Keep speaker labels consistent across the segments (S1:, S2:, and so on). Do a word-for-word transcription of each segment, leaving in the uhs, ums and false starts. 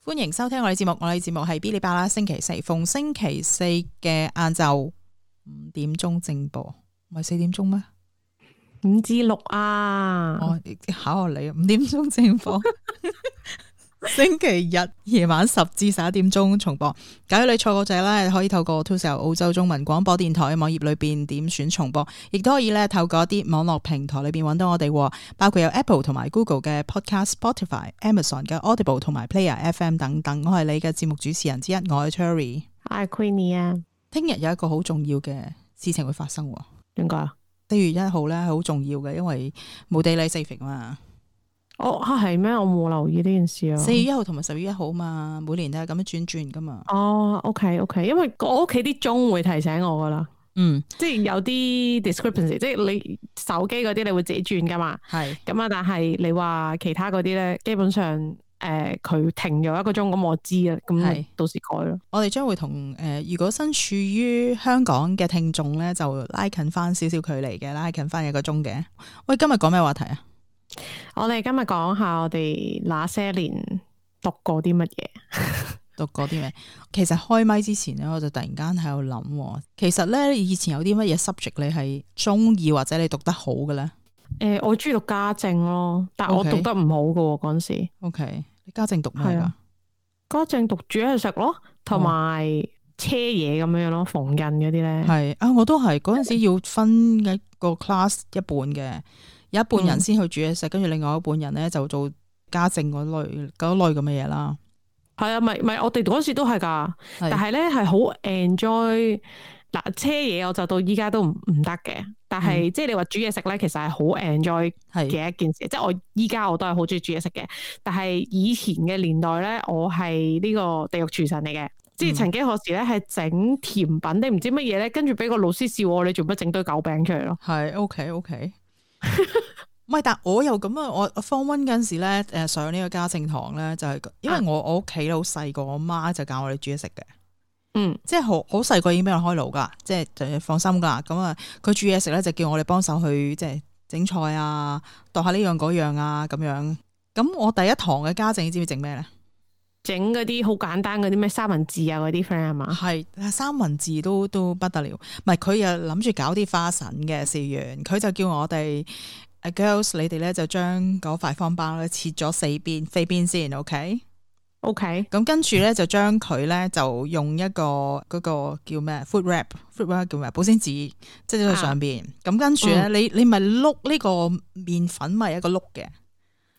S1: 歡迎收聽我哋節目，我哋節目係嗶哩吧啦，星期四逢星期四嘅晏晝五點鐘正播，唔係四點鐘咩？
S2: 五至六啊！
S1: 我考下你，五點鐘正播，星期日夜晚十至十一點鐘重播。假如你錯過咗咧，可以透過 To 澳洲中文廣播電台網頁裏邊點選重播，亦都可以咧透過一啲網絡平台裏邊揾到我哋，包括有 Apple 同埋 Google 嘅 Podcast、Spotify、Amazon 嘅 Audible 同埋 Player F M 等等。我係你嘅節目主持人之一，我係 Cherry，
S2: 我係 Queenie 啊。
S1: 聽日有一個好重要嘅事情會發生，
S2: 點解啊？
S1: 四月一號咧係好重要嘅，因為冇 Daylight Saving 嘛。
S2: 哦，係咩？我冇留意呢件事啊。
S1: 四月一號同埋十月一號嘛，每年都係咁樣轉轉噶嘛。
S2: 哦 ，OK OK，因為我屋企啲鐘會提醒我噶啦。
S1: 嗯，
S2: 即係有啲 discrepancy，即係你手機嗰啲你會自己轉噶嘛。係咁啊，但係你話其他嗰啲咧，基本上誒佢、呃、停咗一個鐘，咁我知啊，咁到時改咯。
S1: 我哋將會同誒、呃，如果身處於香港嘅聽眾咧，就拉近翻少少距離嘅，拉近翻一個鐘嘅。喂，今日講咩話題啊？
S2: 我哋今日講下我哋那些年讀過啲乜嘢，
S1: 讀過啲咩？其實開麥之前咧，我就突然間喺度諗，其實咧以前有啲乜嘢 subject 你係中意或者你讀得好嘅咧？
S2: 誒、呃，我中意讀家政咯，但係我讀得唔好嘅嗰陣時。
S1: O、okay. K， 你家政讀咩噶？
S2: 家政讀煮嘢食咯，同埋車嘢咁樣咯，縫紉嗰啲咧。係
S1: 啊，我都係嗰陣時要分一個 class 一半嘅。有一半人先去煮嘢食，跟住、嗯、另外一半人咧就做家政嗰類嗰類咁嘅嘢啦。
S2: 係啊，咪咪我哋嗰時都係噶，是但係咧係好 enjoy 嗱車嘢，我就到依家都唔唔得嘅。但係、嗯、即係你話煮嘢食咧，其實係好 enjoy 嘅一件事。是即係我依家我都係好中意煮嘢食嘅。但係以前嘅年代咧，我係呢個地獄廚神嚟嘅。嗯、即係曾幾何時咧係整甜品定唔知乜嘢咧，跟住俾個老師笑我，你做乜整堆狗餅出嚟咯？係
S1: OK OK。唔係，但我又咁啊！我 Form One 嗰陣時咧，誒上呢個家政堂咧，就係、是、因為我我屋企好細個，我媽就教我哋煮嘢食嘅。嗯，即係好好細個已經俾我開爐噶，即係就放心噶。咁啊，佢煮嘢食咧就叫我哋幫手去即係整菜啊，度下呢樣嗰樣啊咁樣。咁我第一堂嘅家政，你知唔知整咩咧？
S2: 整嗰啲好簡單嗰啲咩三文治啊嗰啲 friend 係嘛？係
S1: 三文治都都不得了。唔係佢又諗住搞啲花神嘅試完，佢就叫我哋。Girls， 你哋咧就將嗰塊方包咧切咗四邊飛邊先 ，OK？OK，
S2: Okay?
S1: 咁跟住咧就將佢咧就用一個嗰、嗰個叫咩 food wrap，food wrap 叫咩保鮮紙，即係喺上邊。咁、啊、跟住咧，嗯、你你咪碌呢個麵粉咪一個碌嘅，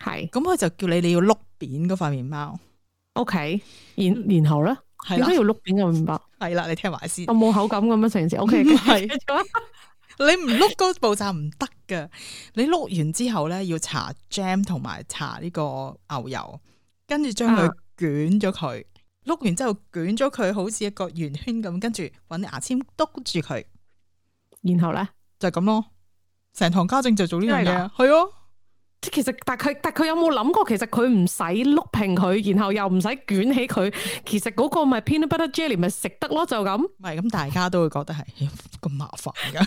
S1: 係。咁佢就叫你你要碌扁嗰塊麵包
S2: ，OK？然然後咧，點解要碌扁個麵包？係啦，
S1: 你聽埋先。
S2: 我冇口感咁樣成件事 ，OK？係。
S1: 你唔碌嗰步驟唔得噶，你碌完之後咧要搽 jam 同埋搽呢個牛油，跟住將佢捲咗佢，碌、啊、完之後捲咗佢好似一個圓圈咁，跟住搵牙籤篤住佢，然後咧就咁咯。成堂家政就做呢樣嘢，係啊。
S2: 即其實，但佢但佢有冇諗過，其實佢唔使碌平佢，然後又唔使捲起佢，其實嗰個咪 peanut butter jelly 咪食得咯，就咁。唔
S1: 係咁，大家都會覺得係咁麻煩噶。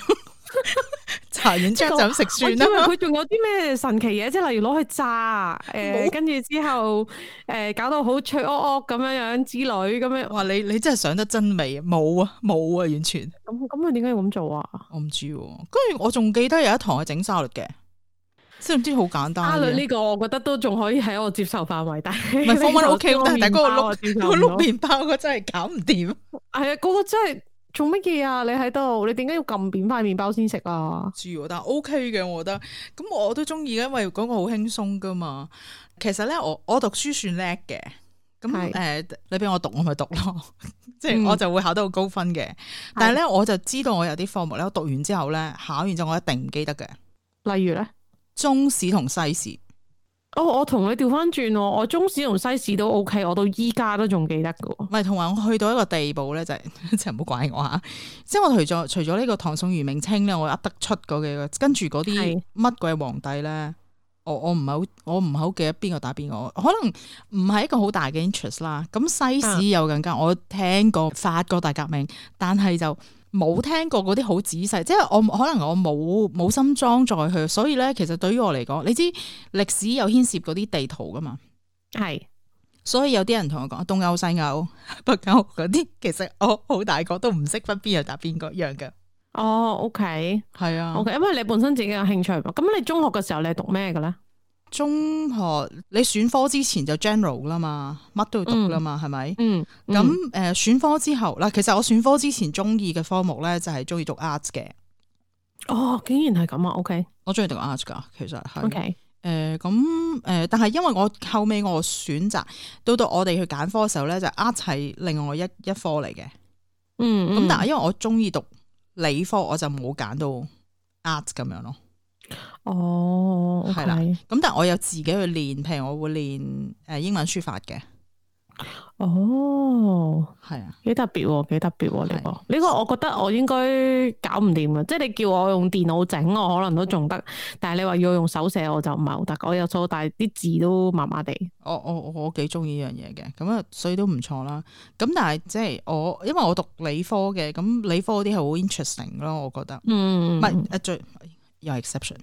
S1: 搽完之後就咁食算啦。因為
S2: 佢仲有啲咩神奇嘢，即係例如攞去炸，誒、呃，跟住之後誒、呃，搞到好脆噏噏咁樣樣之類咁樣。
S1: 哇！你你真係想得真美，冇啊冇啊，完全。
S2: 咁咁佢點解要咁做啊？
S1: 我唔知。跟住我仲記得有一堂係整沙律嘅。知唔知好簡單？沙律
S2: 呢個我覺得都仲可以喺我接受範圍，但係
S1: 唔係方 O K， 但係嗰個碌嗰碌麵包個真係搞唔掂。係
S2: 啊，嗰個真係做乜嘢啊？你喺度，你點解要撳扁塊麵包先食啊？
S1: 知，但係 O K 嘅，我覺得。咁我都中意嘅，因為嗰個好輕鬆噶嘛。其實咧，我我讀書算叻嘅。咁誒是、呃，你俾我讀，我咪讀咯。即係我就會考得好高分嘅。嗯、但係咧，我就知道我有啲科目咧，我讀完之後咧，考完之後我一定唔記得嘅。
S2: 例如咧？中
S1: 史同西史，
S2: 哦，我同你調翻轉，我中史同西史都 OK，我到依家都仲記得噶。
S1: 唔係，同埋我去到一個地步咧，就係即係唔好怪我吓。即係我除咗除咗呢個唐宋元明清咧，我噏得出嗰幾個，跟住嗰啲乜鬼皇帝咧，我我唔係好，我唔係好記得邊個打邊個，可能唔係一個好大嘅 interest 啦。咁西史又更加，我聽過法國大革命，但係就。冇聽過嗰啲好仔細，即係我可能我冇冇心裝載去，所以咧其實對於我嚟講，你知歷史有牽涉嗰啲地圖噶嘛？係所以有啲人同我講東歐、西歐、北歐嗰啲，其實我好大個都唔識分邊樣打邊個樣嘅。
S2: 哦，OK，
S1: 係啊
S2: ，OK，因為你本身自己有興趣嘛。咁你中學嘅時候你係讀咩嘅咧？
S1: 中學你選科之前就 general 啦嘛，乜都要讀啦嘛，係咪？
S2: 嗯，
S1: 咁誒、嗯呃、選科之後嗱，其實我選科之前中意嘅科目咧就係中意讀 arts 嘅。
S2: 哦，竟然係咁啊 ！OK，
S1: 我中意讀 arts 噶，其實係。
S2: OK，
S1: 誒咁誒，但係因為我後尾我選擇到到我哋去揀科嘅時候咧，就 arts 係另外一一科嚟嘅。
S2: 嗯，
S1: 咁但係因為我中意讀理科，我就冇揀到 arts 咁樣咯。
S2: 哦，係啦，
S1: 咁但係我有自己去練，譬如我會練誒英文書法嘅。
S2: 哦，
S1: 係啊，
S2: 幾特別喎，幾特別喎呢個呢個，我覺得我應該搞唔掂嘅。即係你叫我用電腦整，我可能都仲得，但係你話要用手寫，我就唔係好得。我有數，但係啲字都麻麻地。
S1: 我我我幾中意呢樣嘢嘅，咁啊，所以都唔錯啦。咁但係即係我，因為我讀理科嘅，咁理科嗰啲係好 interesting 咯，我覺得。嗯，唔係誒最有 exception。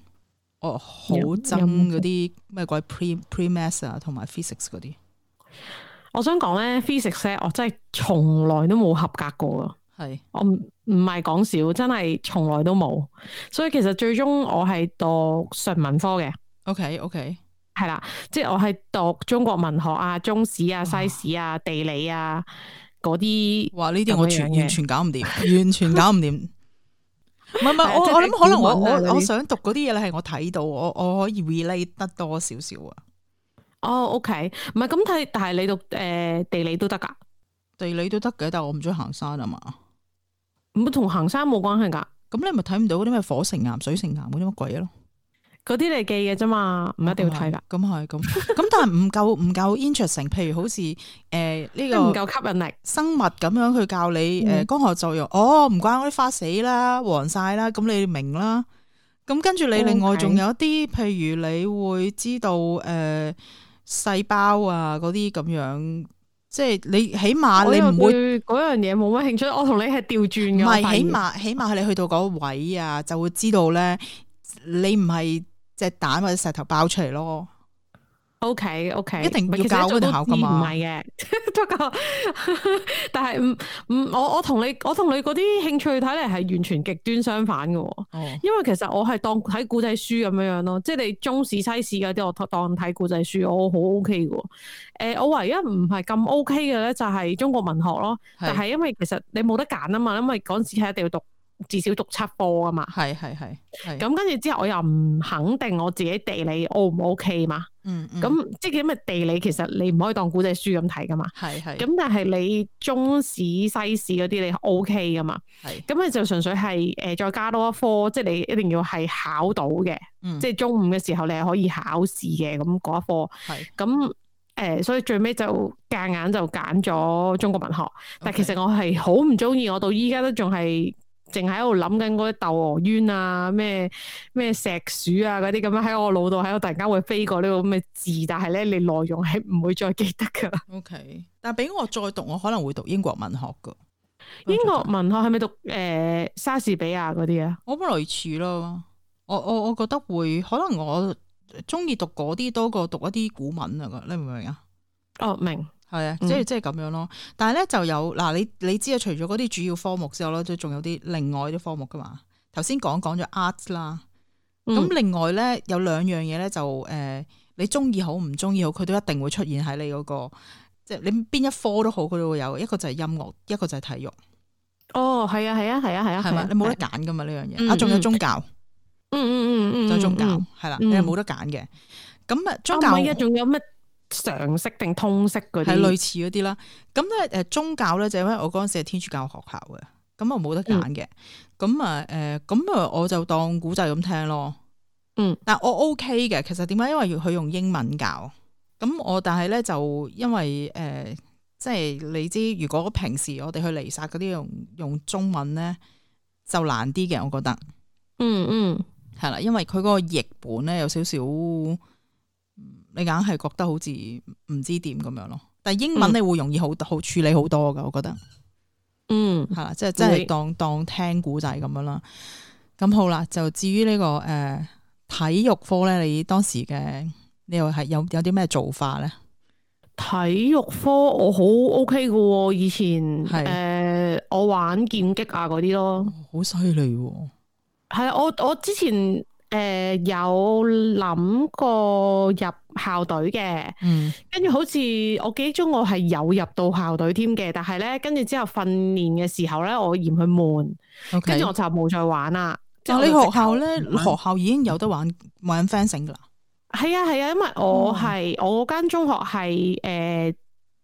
S1: 我好憎嗰啲咩鬼 pre pre maths 啊，同埋 physics 嗰啲。
S2: 我想講咧 physics 咧，我真係從來都冇合格過噶。係，我唔唔係講笑，真係從來都冇。所以其實最終我係讀純文科嘅。OK OK，係啦，即係我係讀中國文學啊、中史啊、西史啊、地理啊嗰啲。哇！呢啲我全完全搞唔掂，完全搞唔掂。唔係唔係，我我諗可能我我我想讀嗰啲嘢咧，係我睇到，我我可以 relate 得多少少啊。哦 ，OK， 唔係咁睇，但係你讀誒、呃、地理都得噶，地理都得嘅，但係我唔中意行山啊嘛。咁同行山冇關係噶，咁你咪睇唔到嗰啲咩火成岩、水成岩嗰啲乜鬼咯？嗰啲你記嘅啫嘛，唔一定要睇噶。咁係咁，咁但係唔夠唔夠 interesting。譬如好似誒呢個唔夠吸引力，生物咁樣去教你誒光合作用。哦，唔怪我啲花死啦、黃晒啦，咁你明啦。咁跟住你另外仲有一啲，譬如你會知道誒。呃細胞啊，嗰啲咁樣，即係你起碼你唔會嗰樣嘢冇乜興趣。我同你係調轉嘅，唔係起碼起碼係你去到嗰個位啊，就會知道咧，你唔係隻蛋或者石頭爆出嚟咯。O K O K， 一定要教嗰啲考噶嘛，唔係嘅，不過但係唔唔，我我同你我同你嗰啲興趣睇嚟係完全極端相反嘅。哦，因為其實我係當睇古仔書咁樣樣咯，即係你中史西史嗰啲，我當睇古仔書，我好 O K 嘅。誒、呃，我唯一唔係咁 O K 嘅咧，就係中國文學咯。但係因為其實你冇得揀啊嘛，因為嗰陣時係一定要讀。至少讀七科啊嘛，係係係，咁跟住之後我又唔肯定我自己地理 O 唔 O K 嘛，嗯，咁即係因為地理其實你唔可以當古仔書咁睇噶嘛，係係，咁但係你中史西史嗰啲你 O K 噶嘛，係，咁你就純粹係誒再加多一科，即係你一定要係考到嘅，嗯，即係中五嘅時候你係可以考試嘅，咁嗰一科，係，咁。誒、呃，所以最尾就夾硬就揀咗中國文學，但係其實我係好唔中意，我到依家都仲係淨喺度諗緊嗰啲竇娥冤啊，咩咩石鼠啊嗰啲咁樣喺我腦度喺度突然間會飛過呢個咁嘅字，但係咧你內容係唔會再記得噶。O、okay. K， 但係俾我再讀，我可能會讀英國文學噶。英國文學係咪讀誒、呃、莎士比亞嗰啲啊？我諗類似咯，我我我覺得會可能我。中意讀嗰啲多過讀一啲古文啊！你明唔明啊？哦，明係啊，即係即係咁樣咯。但係咧就有嗱，你你知啊，除咗嗰啲主要科目之後咧，都仲有啲另外啲科目噶嘛。頭先講講咗 arts 啦，咁、嗯、另外咧有兩樣嘢咧就誒、呃，你中意好唔中意好，佢都一定會出現喺你嗰、那個，即係你邊一科都好，佢都會有。一個就係音樂，一個就係體育。哦，係啊，係啊，係啊，係啊，係嘛？你冇得揀噶嘛呢樣嘢啊，仲有宗教。嗯嗯嗯嗯，就宗教係啦，你係冇得揀嘅。咁啊，宗教而家仲有咩常識定通識嗰啲？係類似嗰啲啦。咁咧，誒，宗教咧就因為我嗰陣時係天主教學校嘅，咁啊冇得揀嘅。咁啊，誒，咁啊，我就當古仔咁聽咯。嗯，但我 OK 嘅。其實點解？因為要佢用英文教。咁我但係咧就因為誒、呃，即係你知，如果平時我哋去彌撒嗰啲用用中文咧，就難啲嘅，我覺得。嗯嗯。係啦，因為佢嗰個譯本咧有少少，你硬係覺得好似唔知點咁樣咯。但係英文你會容易好好處理好多噶，我覺得。嗯，係啦，即係即係當當聽古仔咁樣啦。咁好啦，就至於呢、這個誒、呃、體育科咧，你當時嘅你又係有有啲咩做法咧？體育科我好 OK 嘅喎，以前誒、
S1: 係
S2: 呃、我玩劍擊啊嗰啲咯，
S1: 好犀利喎。
S2: 係啊，我我之前誒、呃、有諗過入校隊嘅，
S1: 嗯，
S2: 跟住好似我記憶中我係有入到校隊添嘅，但係咧跟住之後訓練嘅時候咧，我嫌佢悶，跟住
S1: OK，
S2: 我就冇再玩啦。
S1: 但係你學校咧，
S2: 玩
S1: 學校已經有得玩玩 fencing 噶啦。
S2: 係啊係啊，因為我係、哦、我間中學係誒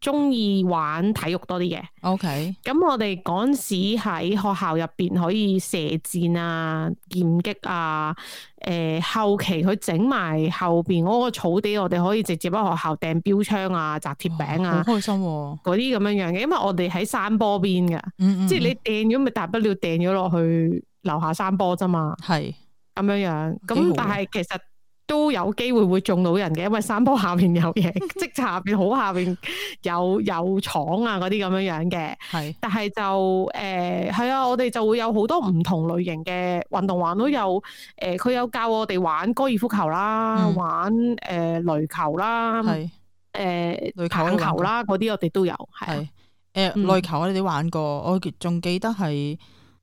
S2: 中意玩體育多啲嘅。
S1: OK，
S2: 咁我哋嗰陣時喺學校入邊可以射箭啊、劍擊啊，誒、呃、後期佢整埋後邊嗰個草地，我哋可以直接喺學校掟標槍啊、擲鐵餅啊，
S1: 好開心嗰
S2: 啲咁樣樣嘅。因為我哋喺山坡邊㗎，
S1: 嗯嗯
S2: 即係你掟咗咪大不了掟咗落去樓下山坡啫嘛。
S1: 係
S2: 咁樣樣，
S1: 幾好
S2: 咁但係其實都有機會會中到人嘅，因為山坡下邊有嘢，即係下邊好下邊有有廠啊嗰啲咁樣樣嘅。
S1: 係，
S2: 但係就誒係啊，我哋就會有好多唔同類型嘅運動玩都有。誒，佢有教我哋玩高爾夫球啦，
S1: 嗯
S2: 玩誒壘球啦，
S1: 係
S2: 誒
S1: 壘球
S2: 棒
S1: 我哋玩過
S2: 球啦，嗰啲我哋都有。係
S1: 係
S2: 啊，
S1: 誒
S2: 嗯
S1: 壘球我哋玩過，我仲記得係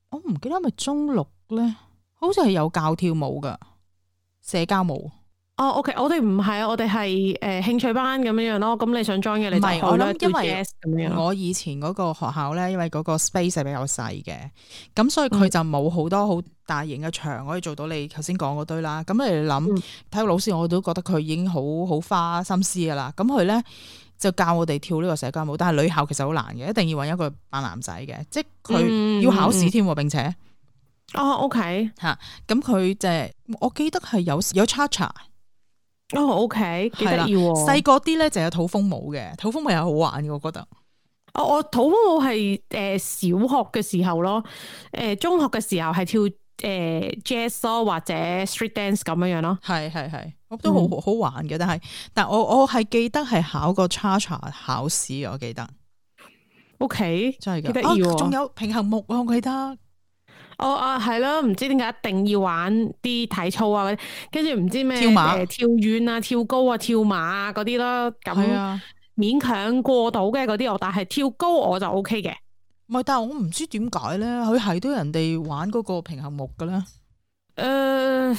S1: 我唔記得係咪中六咧，好似係有教跳舞噶社交舞。
S2: 哦，OK，我哋唔係啊，我哋係誒興趣班咁樣樣咯。咁你想 join 嘅你就
S1: 唔係我
S2: 去啦，
S1: 諗因為
S2: 叫 jazz 咁樣。
S1: 我以前嗰個學校咧，因為嗰個 space 係比較細嘅，咁所以佢就冇好多好大型嘅場可以做到你頭先講嗰堆啦。咁你諗、
S2: 嗯、
S1: 體育老師我都覺得佢已經好好花心思噶啦。咁佢咧就教我哋跳呢個社交舞，但係女校其實好難嘅，一定要揾一個扮男仔嘅，即係佢要考試添，並且
S2: 哦 OK
S1: 嚇咁佢就係、我記得係有有 cha-cha。
S2: 哦 OK 幾得意喎。
S1: 細個啲咧就有土風舞嘅，土風舞又好玩嘅，我覺得。
S2: 哦，我土風舞係誒小學嘅時候咯，誒、呃、中學嘅時候係跳誒、呃、jazz 咯，或者 street dance 咁樣樣咯。
S1: 係係係，我都好、嗯、好玩嘅，但係但我我係記得係考過 cha-cha 考試嘅，我記得。
S2: OK，
S1: 真係
S2: 幾得意喎。
S1: 仲有平衡木啊，我記得。
S2: 哦啊，係咯，唔知點解一定要玩啲體操啊，跟住唔知咩
S1: 跳馬、
S2: 呃、跳遠啊、跳高啊、跳馬啊嗰啲咯，咁勉強過到嘅嗰啲我，但係跳高我就 O K 嘅。
S1: 唔係，但係我唔知點解咧，佢係都人哋玩嗰個平衡木嘅咧。誒、
S2: 呃，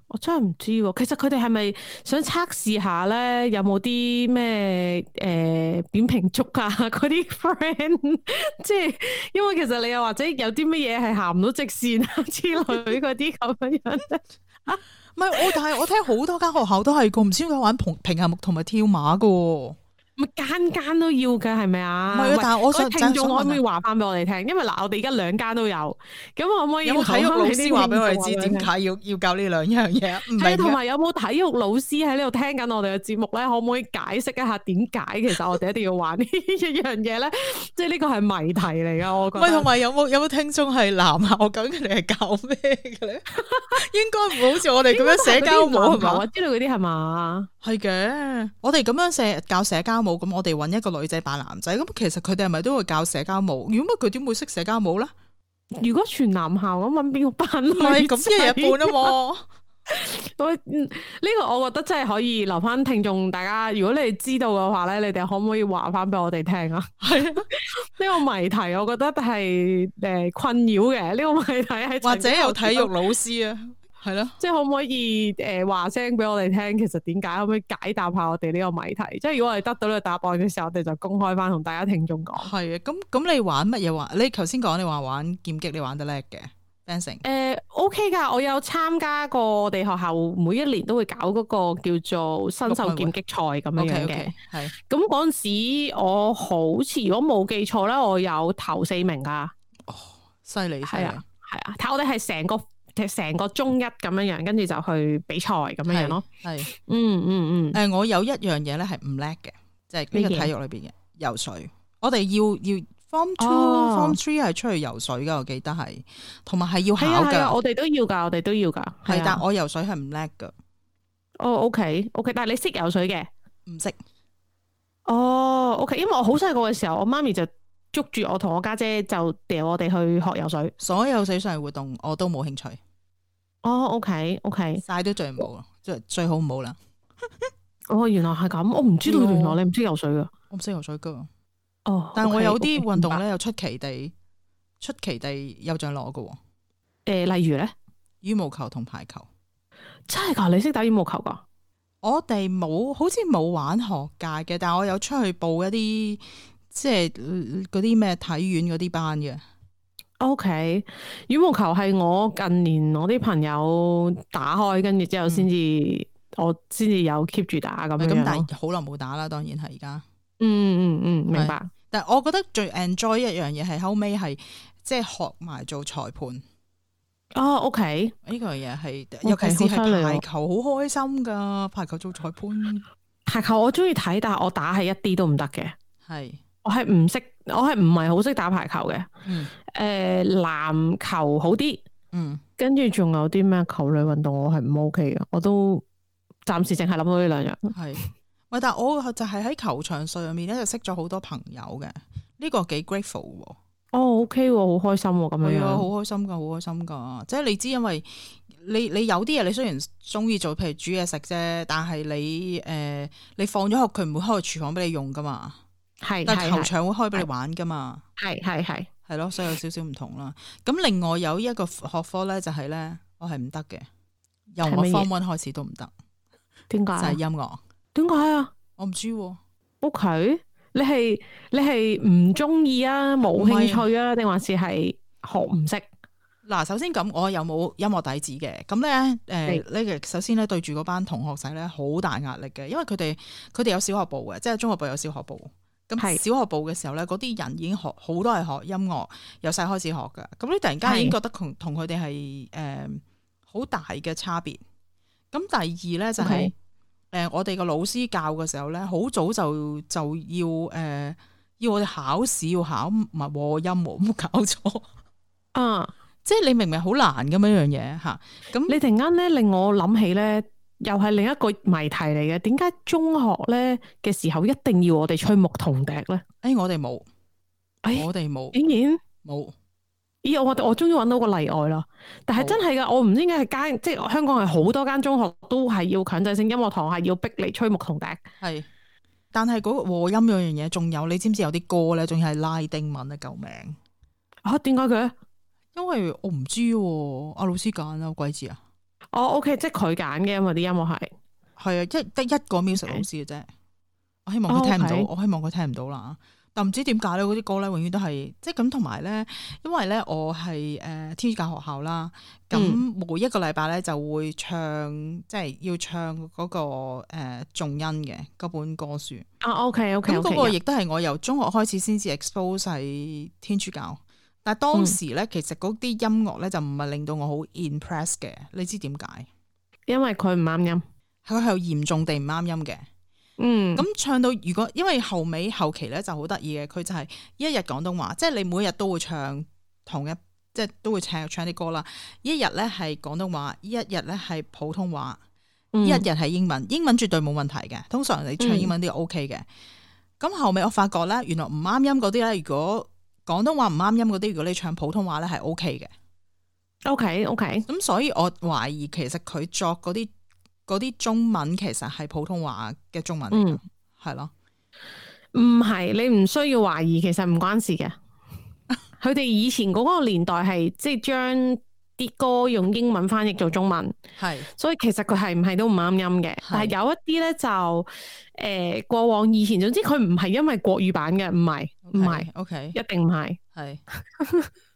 S2: 我真係唔知喎。其實佢哋係咪想測試下咧，有冇啲咩誒扁平足啊嗰啲 friend？即係因為其實你又或者有啲乜嘢係行唔到直線啊之類嗰啲咁樣樣咧。
S1: 唔係我，但係我聽好多間學校都係個唔知點解玩平平衡木同埋跳馬嘅。
S2: 咪間間都要嘅係咪啊？
S1: 唔係啊，但係我想
S2: 聽眾可唔可以話翻俾我哋聽？因為嗱，我哋而家兩間都有，咁可唔可以
S1: 有冇體育老師話俾我哋知點解要要教呢兩樣嘢？唔係，
S2: 同埋有冇體育老師喺呢度聽緊我哋嘅節目咧？可唔可以解釋一下點解其實我哋一定要玩呢一樣嘢咧？即係呢個係謎題嚟噶，我覺得。喂，
S1: 同埋有冇有冇聽眾係男校咁？佢哋係教咩嘅咧？應該唔會好似我哋咁樣社交舞係嘛？
S2: 知道嗰啲係嘛？
S1: 係嘅，我哋咁樣社教社交舞，咁我哋揾一個女仔扮男仔，咁其實佢哋係咪都會教社交舞？如果乜佢點會識社交舞咧？
S2: 如果全男校咁揾邊個扮女仔？
S1: 唔係咁一日半啊嘛。
S2: 我呢、這個我覺得真係可以留翻聽眾大家，如果你哋知道嘅話咧，你哋可唔可以話翻俾我哋聽啊？係呢個謎題，我覺得係誒困擾嘅。呢、這個謎題係
S1: 或者有體育老師啊。係咯，
S2: 即係可唔可以誒話聲俾我哋聽？其實點解可唔可以解答下我哋呢個謎題？即係如果我哋得到呢個答案嘅時候，我哋就公開翻同大家聽眾講。
S1: 係啊，咁咁你玩乜嘢玩？你頭先講你話玩劍擊，你玩得叻嘅 fencing。誒
S2: OK 噶，我有參加過我哋學校每一年都會搞嗰個叫做新秀劍擊賽咁樣樣嘅。係咁嗰陣時，我好似如果冇記錯咧，我有頭四名噶。
S1: 哦，犀利犀利，係啊，
S2: 係啊，睇我哋係成個。成個中一咁樣樣，跟住就去比賽咁樣樣咯。係，嗯嗯嗯。誒、呃，
S1: 我有一樣嘢咧係唔叻嘅，即係呢個體育裏邊嘅游水。我哋要要 form two、form three 係出去游水噶，我記得係，同埋係要考噶。
S2: 我哋都要噶，我哋都要噶。
S1: 係，但我游水係唔叻噶。
S2: 哦，OK OK，但係你識游水嘅？
S1: 唔識。
S2: 哦，OK，因為我好細個嘅時候，我媽咪就捉住我同我家姐，姐就掉我哋去學游水。
S1: 所有水上活動我都冇興趣。
S2: 哦 ，OK OK，
S1: 晒都最冇，最最好唔好啦。
S2: 哦，原來係咁，我唔知道原來你唔識游水噶。
S1: 我唔識游水噶。
S2: 哦，
S1: 但係我有啲
S2: okay,
S1: 運動咧，okay, 有出奇地出奇地有獎攞噶。誒、
S2: 呃，例如咧，
S1: 羽毛球同排球。
S2: 真係噶？你識打羽毛球噶？
S1: 我哋冇，好似冇玩學界嘅，但係我有出去報一啲即係嗰啲咩體院嗰啲班嘅。
S2: O、okay, K， 羽毛球係我近年我啲朋友打開，跟住之後先至、嗯、我先至有 keep 住打咁樣。
S1: 咁但係好耐冇打啦，當然係而家。
S2: 嗯嗯嗯，明白。
S1: 但係我覺得最 enjoy 一樣嘢係後尾係即係學埋做裁判。
S2: 哦 ，O K，
S1: 呢個嘢係，尤其是係排球，好開心噶。排球做裁判，
S2: 排球我中意睇，但係我打係一啲都唔得嘅。
S1: 係，
S2: 我係唔識，我係唔係好識打排球嘅。
S1: 嗯，
S2: 誒、呃，籃球好啲，
S1: 嗯，
S2: 跟住仲有啲咩球類運動我係唔 OK 嘅，我都暫時淨係諗到呢兩樣。
S1: 係，喂，但係我就係喺球場上面咧，就識咗好多朋友嘅，呢、這個幾 grateful 喎。
S2: 哦 ，OK 喎，好開心喎，咁樣樣，
S1: 好開心噶，好開心噶。即係你知，因為你你有啲嘢，你雖然中意做，譬如煮嘢食啫，但係你誒、呃，你放咗學，佢唔會開個廚房俾你用噶嘛。
S2: 係，
S1: 但係球場會開俾你玩噶嘛。
S2: 係係係
S1: 係咯，所以有少少唔同啦。咁另外有一個學科咧，就係咧，我係唔得嘅，由我 Form One 開始都唔得。
S2: 點解？
S1: 就係音樂。
S2: 點解啊？
S1: 我唔知喎。
S2: O K。你係你係唔中意啊，冇興趣啊，定還是係學唔識？
S1: 嗱，首先咁，我有冇音樂底子嘅？咁咧，誒、呃，呢個首先咧對住嗰班同學仔咧，好大壓力嘅，因為佢哋佢哋有小學部嘅，即係中學部有小學部。咁小學部嘅時候咧，嗰啲人已經學好多係學音樂，由細開始學㗎。咁你突然間已經覺得同同佢哋係誒好大嘅差別。咁第二咧就係、是。Okay. 誒、呃，我哋個老師教嘅時候咧，好早就就要誒、呃，要我哋考試要考埋和音，冇搞錯
S2: 啊！
S1: 即係你明明好難咁樣樣嘢吓，咁
S2: 你突然間咧令我諗起咧，又係另一個謎題嚟嘅。點解中學咧嘅時候一定要我哋吹牧童笛咧？誒、
S1: 哎，我哋冇，
S2: 誒，
S1: 我哋冇，
S2: 竟然
S1: 冇。
S2: 咦，我我終於揾到個例外啦！但係真係噶，我唔知點解係間，即係香港係好多間中學都係要強制性音樂堂係要逼你吹牧童笛。係，
S1: 但係嗰個和音嗰樣嘢，仲有你知唔知有啲歌咧，仲要係拉丁文啊！救命
S2: 啊！點解嘅？
S1: 因為我唔知喎，阿老師揀啊，鬼知啊！
S2: 哦，OK，即係佢揀嘅，因為啲音樂係
S1: 係啊，一得一個 music 老師嘅啫。Okay. 我希望佢聽唔到，oh, okay. 我希望佢聽唔到啦。但唔知點解咧，嗰啲歌咧永遠都係即係咁，同埋咧，因為咧我係誒、呃、天主教學校啦，咁每一個禮拜咧就會唱，即係要唱嗰、那個誒頌恩嘅嗰本歌書。
S2: 啊 ，OK OK，
S1: 咁嗰個亦都係我由中學開始先至 expose 喺天主教，但係當時咧、嗯、其實嗰啲音樂咧就唔係令到我好 impress 嘅，你知點解？
S2: 因為佢唔啱音，
S1: 佢係嚴重地唔啱音嘅。嗯，咁唱到如果因為後尾後期咧就好得意嘅，佢就係一日廣東話，即係你每日都會唱同一，即係都會唱唱啲歌啦。一日咧係廣東話，一日咧係普通話，嗯、一日係英文，英文絕對冇問題嘅。通常你唱英文都 OK 嘅。咁、嗯、後尾我發覺咧，原來唔啱音嗰啲咧，如果廣東話唔啱音嗰啲，如果你唱普通話咧係 OK 嘅。
S2: OK OK，
S1: 咁所以我懷疑其實佢作嗰啲。嗰啲中文其實係普通話嘅中文嚟嘅，係、嗯、咯，
S2: 唔係你唔需要懷疑，其實唔關事嘅。佢哋以前嗰個年代係即係將啲歌用英文翻譯做中文，係，所以其實佢係唔係都唔啱音嘅。但係有一啲咧就誒、呃、過往以前，總之佢唔係因為國語版嘅，唔係唔係 ，OK， 一定唔係，係。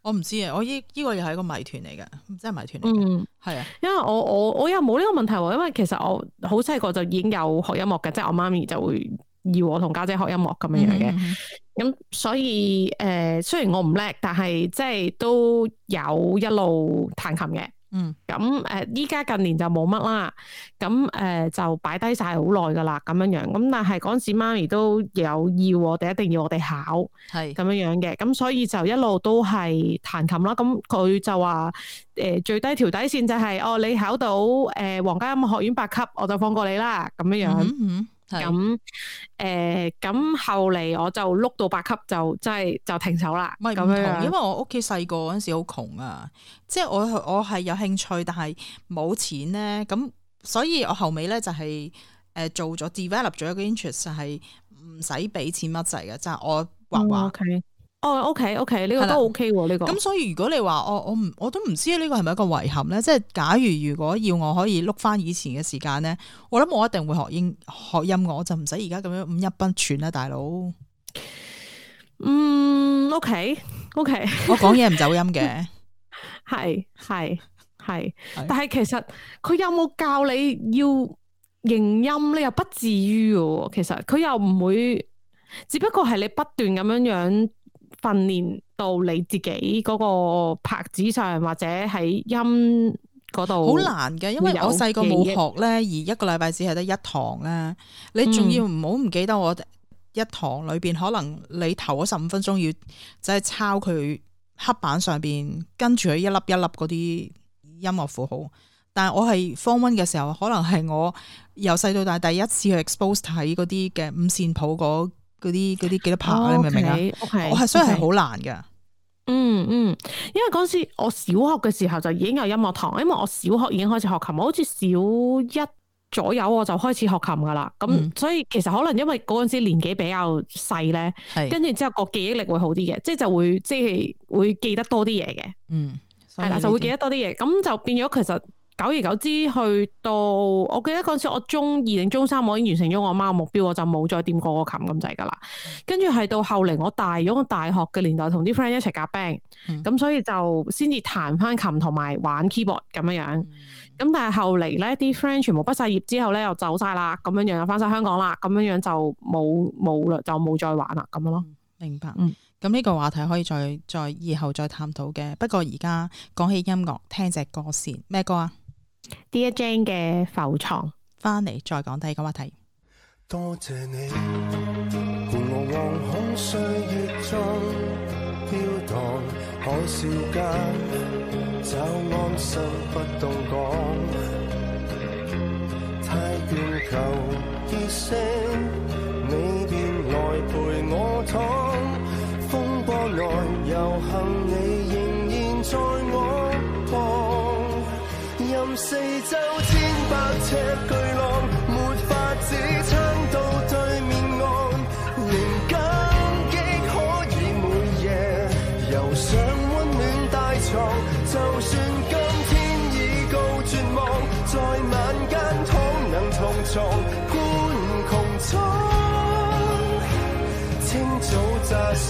S1: 我唔知啊，我依依個又係一個謎團嚟嘅，真係謎團嚟嘅。嗯，係啊，
S2: 因為我我我又冇呢個問題喎，因為其實我好細個就已經有學音樂嘅，即係我媽咪就會要我同家姐學音樂咁樣樣嘅。咁、嗯嗯、所以誒、呃，雖然我唔叻，但係即係都有一路彈琴嘅。嗯，咁誒，依家近年就冇乜啦，咁誒、呃、就擺低晒好耐噶啦，咁樣樣，咁但係嗰陣時媽咪都有要我哋一定要我哋考，係咁樣樣嘅，咁所以就一路都係彈琴啦。咁佢就話誒、呃、最低條底線就係、是、哦，你考到誒皇家音樂學院八級，我就放過你啦，咁樣樣。嗯嗯咁誒，咁、呃、後嚟我就碌到八級就真係就停手啦。
S1: 唔係唔同，因為我屋企細個嗰陣時好窮啊，即係我我係有興趣，但係冇錢咧，咁所以我後尾咧就係誒做咗 develop 咗一個 interest 就係唔使俾錢乜滯嘅，就係、是、我畫畫。
S2: 哦 OK，哦 OK OK，呢個都 OK 喎，呢個。咁
S1: 所以如果你話我我唔我都唔知呢個係咪一個遺憾咧？即係假如如果要我可以碌翻以前嘅時間咧，我諗我一定會學英學音樂，我就唔使而家咁樣五音不全啦，大佬。
S2: 嗯 OK OK，
S1: 我講嘢唔走音嘅，
S2: 係係係，但係其實佢有冇教你要認音咧？又不至於嘅，其實佢又唔會，只不過係你不斷咁樣樣訓練到你自己嗰個拍子上，或者喺音嗰度。好難嘅，因為我細個冇學咧，而一個禮拜只係得一堂咧，你仲要唔好唔記得我一堂裏邊可能你頭嗰十五分鐘要就係抄佢黑板上邊跟住佢一粒一粒嗰啲音樂符號，但係我係 Form One 嘅時候，可能係我由細到大第一次去 expose 睇嗰啲嘅五線譜嗰嗰啲嗰啲幾多拍，哦、你明唔明啊？我係所以係好難㗎。嗯嗯，因為嗰時我小學嘅時候就已經有音樂堂，因為我小學已經開始學琴，我好似小一左右我就開始學琴噶啦。咁、嗯、所以其實可能因為嗰陣時年紀比較細咧，跟住之後個記憶力會好啲嘅，即係就會即係會記得多啲嘢嘅。嗯，係啦，就會記得多啲嘢，咁就變咗其實。久而久之去到，我記得嗰陣時我中二定中三，我已經完成咗我媽嘅目標，我就冇再掂過個琴咁滯噶啦。跟住係到後嚟我大咗個大學嘅年代，同啲 friend 一齊夾 band，咁所以就先至彈翻琴同埋玩 keyboard 咁樣樣。咁、嗯、但係後嚟咧，啲 friend 全部畢晒業之後咧，又走晒啦，咁樣樣又翻晒香港啦，咁樣樣就冇冇啦，就冇再玩啦，咁樣咯。
S1: 明白。嗯。咁呢個話題可以再再以後再探討嘅。不過而家講起音樂，聽隻歌先，咩歌啊？Dear
S2: Jane 嘅浮床，
S1: 翻嚟再講第二個話題。
S3: 多謝你伴我往空歲月中飄蕩海嘯間，找安心不動講，太倦求結識你便來陪我躺，風波內遊行你仍然在我旁，任四周千百尺巨浪，沒法子撐到對面岸，仍感激可以每夜遊上溫暖大床，就算今天已告絕望，在晚間倘能同床觀穹蒼，清早乍醒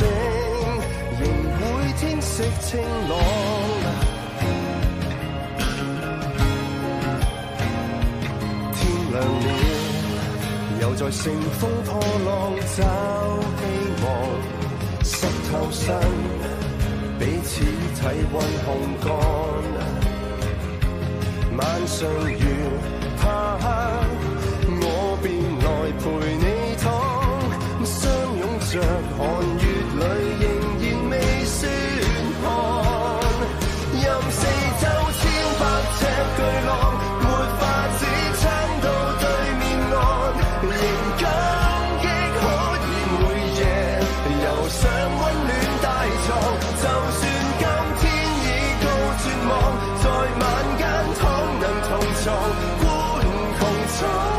S3: 仍會天色清朗，亮了，又在乘風破浪找希望，濕透身，彼此體溫烘乾。晚上如怕黑，我便來陪你躺，相擁着寒月裏仍然未算寒，任四周千百尺巨浪，沒法子撐到對面岸，仍感激可以每夜遊上溫暖大床，就算今天已告絕望，在晚間倘能同床觀穹蒼。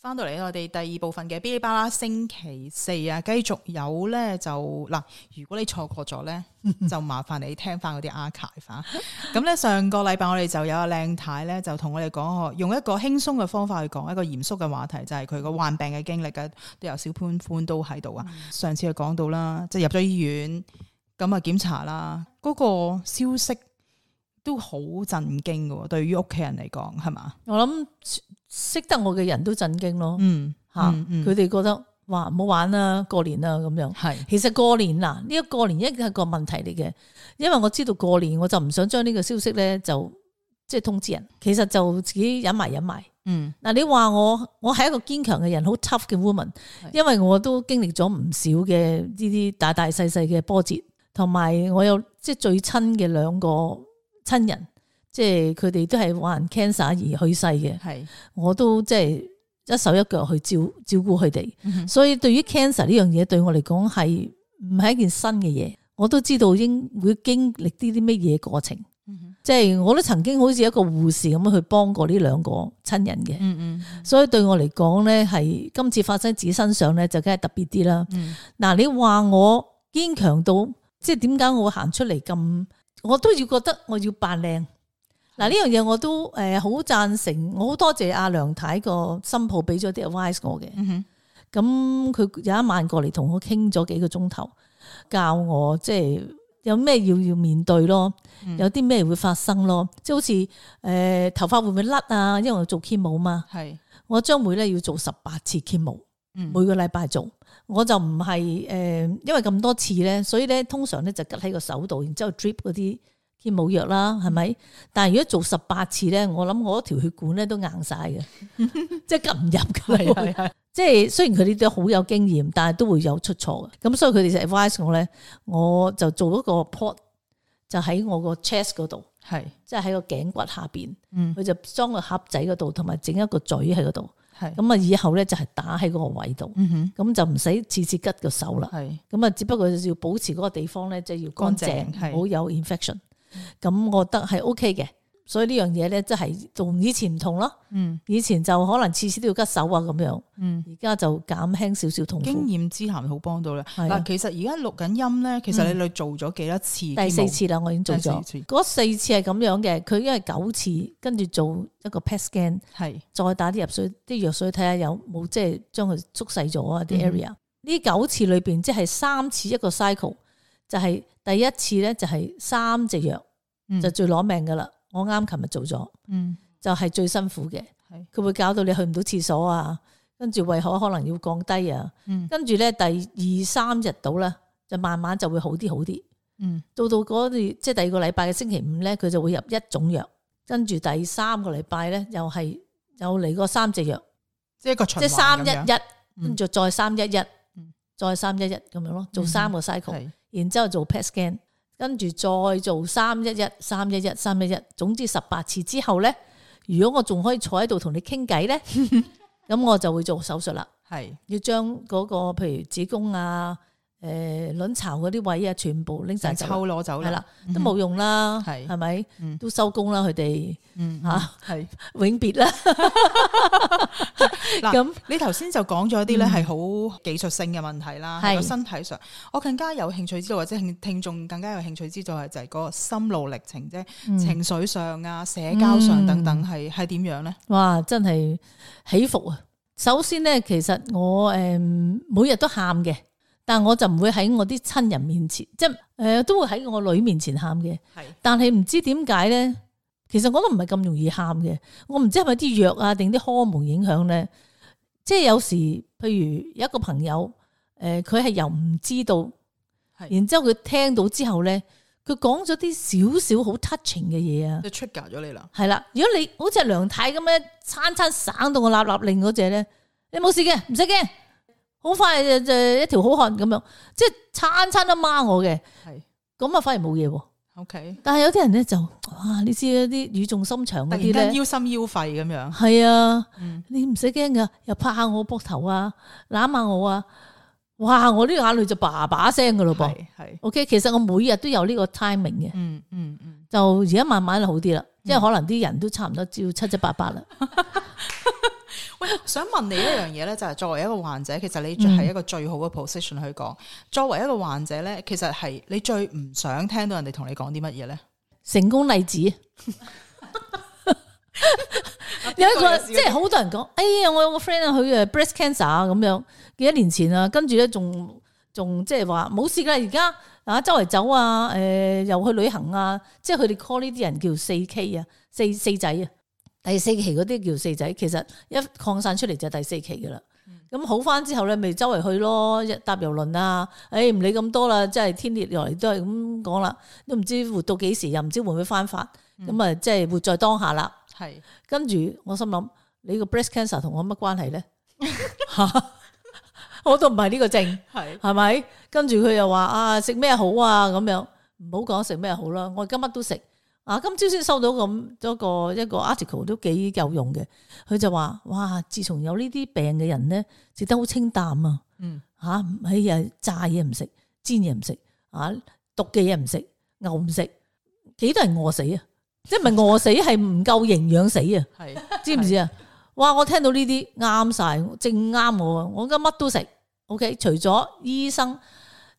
S1: 翻到嚟我哋第二部分嘅嗶哩吧啦星期四啊，繼續有咧就嗱，如果你錯過咗咧，就麻煩你聽翻嗰啲 archive 啊。咁咧上個禮拜我哋就有阿靚太咧，就同我哋講，用一個輕鬆嘅方法去講一個嚴肅嘅話題，就係佢個患病嘅經歷嘅，都有小潘潘都喺度啊。嗯、上次就講到啦，即係入咗醫院，咁啊檢查啦，嗰、嗰個消息都好震驚嘅，對於屋企人嚟講係嘛？
S4: 我諗識得我嘅人都震驚咯，
S1: 嗯
S4: 吓，佢哋覺得哇唔好玩啦，過年啦咁樣。係，其實過年嗱呢一個過年一係個問題嚟嘅，因為我知道過年我就唔想將呢個消息咧就即係通知人，其實就自己忍埋忍埋。嗯，嗱你話我我係一個堅強嘅人，好 tough 嘅 woman， 因為我都經歷咗唔少嘅呢啲大大細細嘅波折，同埋我有即係最親嘅兩個親人。即係佢哋都係患 cancer 而去世嘅，係我都即係一手一腳去照照顧佢哋，嗯、所以對於 cancer 呢樣嘢對我嚟講係唔係一件新嘅嘢，我都知道應會經歷啲啲乜嘢過程，嗯、即係我都曾經好似一個護士咁樣去幫過呢兩個親人嘅，嗯嗯、所以對我嚟講咧係今次發生自己身上咧就梗係特別啲啦。嗱、嗯，你話我堅強到即係點解我會行出嚟咁，我都要覺得我要扮靚。嗱呢樣嘢我都誒好贊成，我好多謝阿梁太個新抱俾咗啲 advice 我嘅。咁佢、嗯、有一晚過嚟同我傾咗幾個鐘頭，教我即係有咩要要面對咯，嗯、有啲咩會發生咯，即係好似誒、呃、頭髮會唔會甩啊？因為我做 chemo 嘛，係我將會咧要做十八次 chemo，嗯、每個禮拜做，我就唔係誒因為咁多次咧，所以咧通常咧就拮喺個手度，然之後 drip 嗰啲。冇藥啦，係咪？但係如果做十八次咧，我諗我條血管咧都硬晒嘅，即係撳唔入嘅。係係，即係雖然佢哋都好有經驗，但係都會有出錯嘅。咁所以佢哋就 advise 我咧，我就做一個 port，就喺我個 chest 嗰度，係即係喺個頸骨下邊。佢、嗯、就裝個盒仔嗰度，同埋整一個嘴喺嗰度。係咁啊，以後咧就係打喺嗰個位度。咁、嗯、哼就唔使次次拮個手啦。係咁啊，只不過要保持嗰個地方咧，即係要乾淨，唔好有 infection。咁我覺得係 O K 嘅，所以呢樣嘢咧，即係同以前唔同咯。嗯，以前就可能次次都要拮手啊咁樣。嗯，而家就減輕少少痛苦。經驗之談好幫到啦。嗱、啊，其實而家錄緊音咧，其實你哋做咗幾多次？第四次啦，我已經做咗。嗰四次係咁樣嘅，佢因為九次，跟住做一個 P E T scan， 係再打啲入水啲藥水睇下有冇即係將佢縮細咗啊啲 area。呢、嗯、九次裏邊即係三次一個 cycle， 就係、是。第一次咧就係三隻藥，嗯、就最攞命噶啦。我啱琴日做咗，嗯、就係最辛苦嘅。佢是會搞到你去唔到廁所啊，跟住胃口可能要降低啊。嗯、跟住咧第二三日到咧，就慢慢就會好啲好啲。嗯、到到嗰啲即係第二個禮拜嘅星期五咧，佢就會入一種藥。跟住第三個禮拜咧，又係又嚟個三隻藥，即係一個循環，即係三一一，跟住再三一一，再三一一咁樣咯，做三個 cycle。嗯然之後做 P E T scan， 跟住再做三一一、三一一、三一一，總之十八次之後咧，如果我仲可以坐喺度同你傾偈咧，咁我就會做手術啦。係是要將嗰個譬如子宮啊、誒、呃、卵巢嗰啲位啊，全部拎晒抽攞走啦，係啦，都冇用啦，係係咪？都收工啦，佢哋吓係永別啦。咁你頭先就講咗啲咧係好技術性嘅問題啦，喺個身體上，我更加有興趣知道，或者聽眾更加有興趣知道係就係嗰個心路歷程啫，嗯、情緒上啊、社交上等等係係點樣咧？哇，真係起伏啊！首先咧，其實我誒每日都喊嘅。但我就唔會喺我啲親人面前，即係誒、呃、都會喺我女面前喊嘅。係，但係唔知點解咧，其實我都唔係咁容易喊嘅。我唔知係咪啲藥啊定啲荷爾蒙影響咧。即係有時，譬如有一個朋友，誒佢係又唔知道，係，然之後佢聽到之後咧，佢講咗啲少少好 touching 嘅嘢啊，就 trigger 咗你啦。係啦，如果你好似梁太咁樣餐餐省到我立立令嗰隻咧，你冇事嘅，唔使驚。好快就就一條好漢咁樣，即係餐餐都孖我嘅，係咁啊，反而冇嘢。O K， 但係有啲人咧就，哇，你知嗰啲語重心長嗰啲咧，腰心腰肺咁樣。係啊，嗯、你唔使驚噶，又拍下我膊頭啊，攬下我啊，哇，我啲眼淚就叭叭聲噶咯噃。係 ，O K， 其實我每日都有呢個 timing 嘅。嗯嗯嗯，就而家慢慢好啲啦，因為可能啲人都差唔多照七七八八啦。
S1: 想問你一樣嘢咧，就係作為一個患者，其實你係一個最好嘅 position 去講。作為一個患者咧，其實係你最唔想聽到人哋同你講啲乜嘢咧？
S4: 成功例子，有一個即係好多人講，哎呀，我有個 friend 啊，佢誒 breast cancer 啊咁樣，幾多年前啊，跟住咧仲仲即係話冇事噶，而家啊周圍走啊，誒、呃、又去旅行啊，即係佢哋 call 呢啲人叫四 K 啊，四四仔啊。第四期嗰啲叫四仔，其實一擴散出嚟就係第四期噶啦。咁、嗯、好翻之後咧，咪周圍去咯，搭郵輪啊，誒唔理咁多啦，即係天跌落嚟都係咁講啦，都唔知活到幾時，又唔知會唔會翻發，咁啊即係活在當下啦。係，跟住我心諗，你個 breast cancer 同我乜關係咧？我都唔係呢個症，係係咪？跟住佢又話啊，食咩好啊咁樣，唔好講食咩好啦，我而家乜都食。啊！今朝先收到咁多個一個 article 都幾有用嘅，佢就話：哇！自從有呢啲病嘅人咧，食得好清淡啊，嗯嚇，哎呀炸嘢唔食，煎嘢唔食，啊毒嘅嘢唔食，牛唔食，幾多人餓死啊？即係唔係餓死，係唔夠營養死啊？係知唔知啊？哇！我聽到呢啲啱晒，正啱我啊！我而家乜都食 ，OK， 除咗醫生。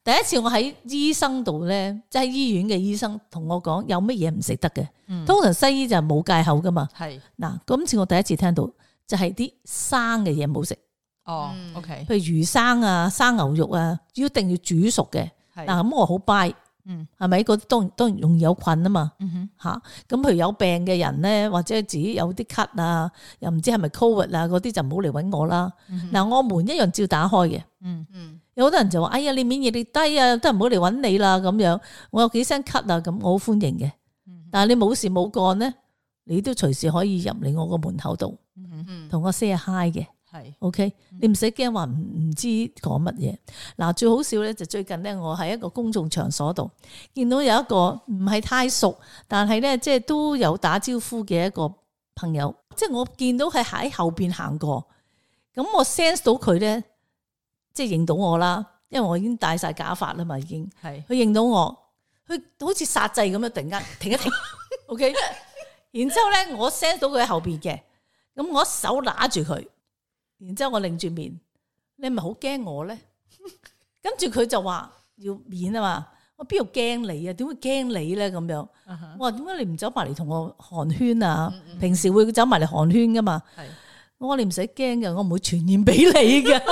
S4: 第一次我喺醫生度咧，即係醫院嘅醫生同我講有乜嘢唔食得嘅，嗯、通常西醫就冇戒口噶嘛。係嗱，今次我第一次聽到就係啲生嘅嘢冇食。哦、嗯、，OK，譬如魚生啊、生牛肉啊，一定要煮熟嘅。嗱咁我好 buy，嗯，係咪？嗰啲當然當然容易有菌啊嘛。嗯哼，吓咁譬如有病嘅人咧，或者自己有啲咳啊，又唔知係咪 covid 啊，嗰啲就唔好嚟搵我啦。嗱、嗯，我門一樣照打開嘅。嗯嗯。有好多人就話：哎呀，你免疫力低啊，都唔好嚟揾你啦咁樣。我有幾聲咳啊，咁我好歡迎嘅。但係你冇事冇幹咧，你都隨時可以入嚟我個門口度，同我 say 下 hi 嘅。係 ，OK，你唔使驚話唔唔知講乜嘢。嗱，最好笑咧就最近咧，我喺一個公眾場所度見到有一個唔係太熟，但係咧即係都有打招呼嘅一個朋友。即係我見到佢喺後邊行過，咁我 sense 到佢咧。即係認到我啦，因為我已經戴晒假髮啦嘛，已經係佢認到我，佢好似殺掣咁樣，突然間停一停，OK，然之後咧我 sense 到佢喺後邊嘅，咁我一手拿住佢，然之後我擰住面，你係咪好驚我咧？跟住佢就話要面啊嘛，我邊度驚你啊？點會驚你咧？咁樣，uh huh. 我話點解你唔走埋嚟同我寒暄啊？嗯嗯平時會走埋嚟寒暄噶嘛？係是，我話你唔使驚嘅，我唔會傳染俾你嘅。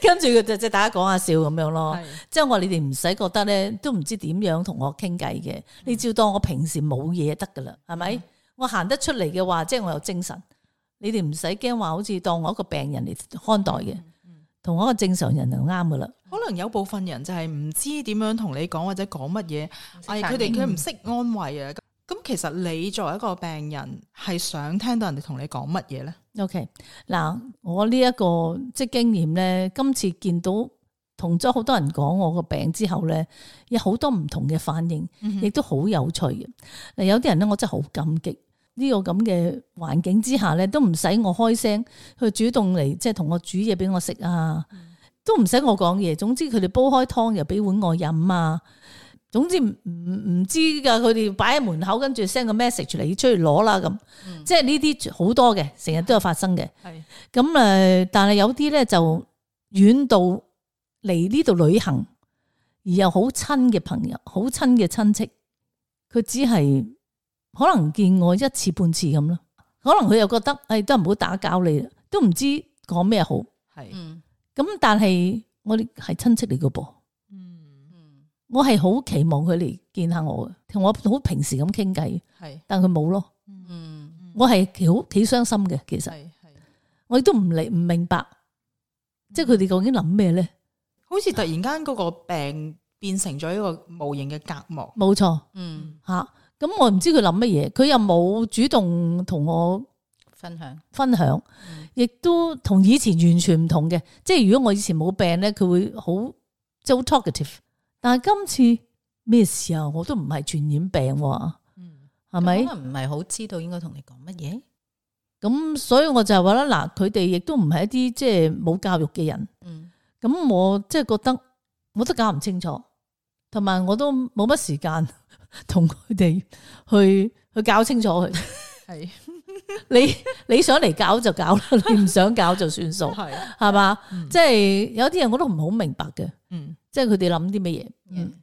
S4: 跟住佢就即係大家講下笑咁樣咯，即係我話你哋唔使覺得咧，都唔知點樣同我傾偈嘅，你照當我平時冇嘢得噶啦，係咪？嗯、我行得出嚟嘅話，即係我有精神，你哋唔使驚話，好似當我一個病人嚟看待嘅，同、嗯嗯、我一個正常人就啱噶啦。可能有部分人就係唔知點樣同你講或者講乜嘢，係佢哋佢唔識安慰啊。咁其實你作為一個病人，係想聽到人哋同你講乜嘢咧 ？OK， 嗱，我呢、這、一個即係經驗咧，今次見到同咗好多人講我個病之後咧，有好多唔同嘅反應，亦都好有趣嘅。嗱，有啲人咧，我真係好感激呢、這個咁嘅環境之下咧，都唔使我開聲去主動嚟，即係同我煮嘢俾我食啊，嗯、都唔使我講嘢。總之佢哋煲開湯又俾碗我飲啊。總之唔唔唔知噶，佢哋擺喺門口，跟住 send 個 message 嚟，出去攞啦咁，嗯、即係呢啲好多嘅，成日都有發生嘅。係咁誒，但係有啲咧就遠到嚟呢度旅行，而又好親嘅朋友，好親嘅親戚，佢只係可能見我一次半次咁咯。可能佢又覺得誒、哎，都唔好打攪你啦，都唔知講咩好。係咁，但係我哋係親戚嚟噶噃。我係好期望佢嚟見下我嘅，同我好平時咁傾偈，係，但佢冇咯。嗯，我係幾好幾傷心嘅，其實，係係，我亦都唔理唔明白，即係佢哋究竟諗咩咧？好似突然間嗰個病變成咗一個無形嘅隔膜。冇錯，嗯吓，咁我唔知佢諗乜嘢，佢又冇主動同我分享分享，亦都同以前完全唔同嘅。即係如果我以前冇病咧，佢會好即係好 talkative。但係今次咩事啊？我都唔係傳染病，嗯，係咪？可能唔係好知道應該同你講乜嘢。咁所以我就話啦，嗱，佢哋亦都唔係一啲即係冇教育嘅人，嗯。咁我即係覺得我都搞唔清楚，同埋我都冇乜時間同佢哋去去搞清楚佢。係你你想嚟搞就搞啦，你唔想搞就算數，係係嘛？即係有啲人我都唔好明白嘅，嗯，即係佢哋諗啲乜嘢，嗯，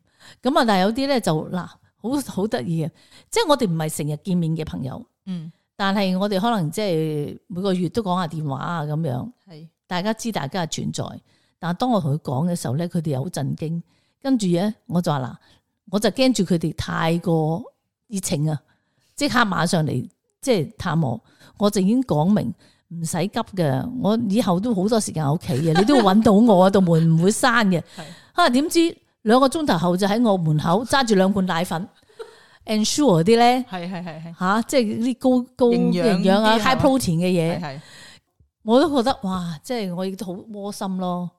S4: 咁啊，但係有啲咧就嗱，好好得意嘅，即係我哋唔係成日見面嘅朋友，嗯，但係我哋可能即係每個月都講下電話啊咁樣，係大家知大家嘅存在，但係當我同佢講嘅時候咧，佢哋又好震驚，跟住咧我就話嗱，我就驚住佢哋太過熱情啊，即刻馬上嚟即係探我。我就已經講明唔使急嘅，我以後都好多時間喺屋企嘅，你都會揾到我，道門唔會閂嘅。啊，點知兩個鐘頭後就喺我門口揸住兩罐奶粉，Ensure 啲咧，係係係係吓，即係啲高高營養啊 ，high protein 嘅嘢，係我都覺得哇，即係我亦都好窩心咯，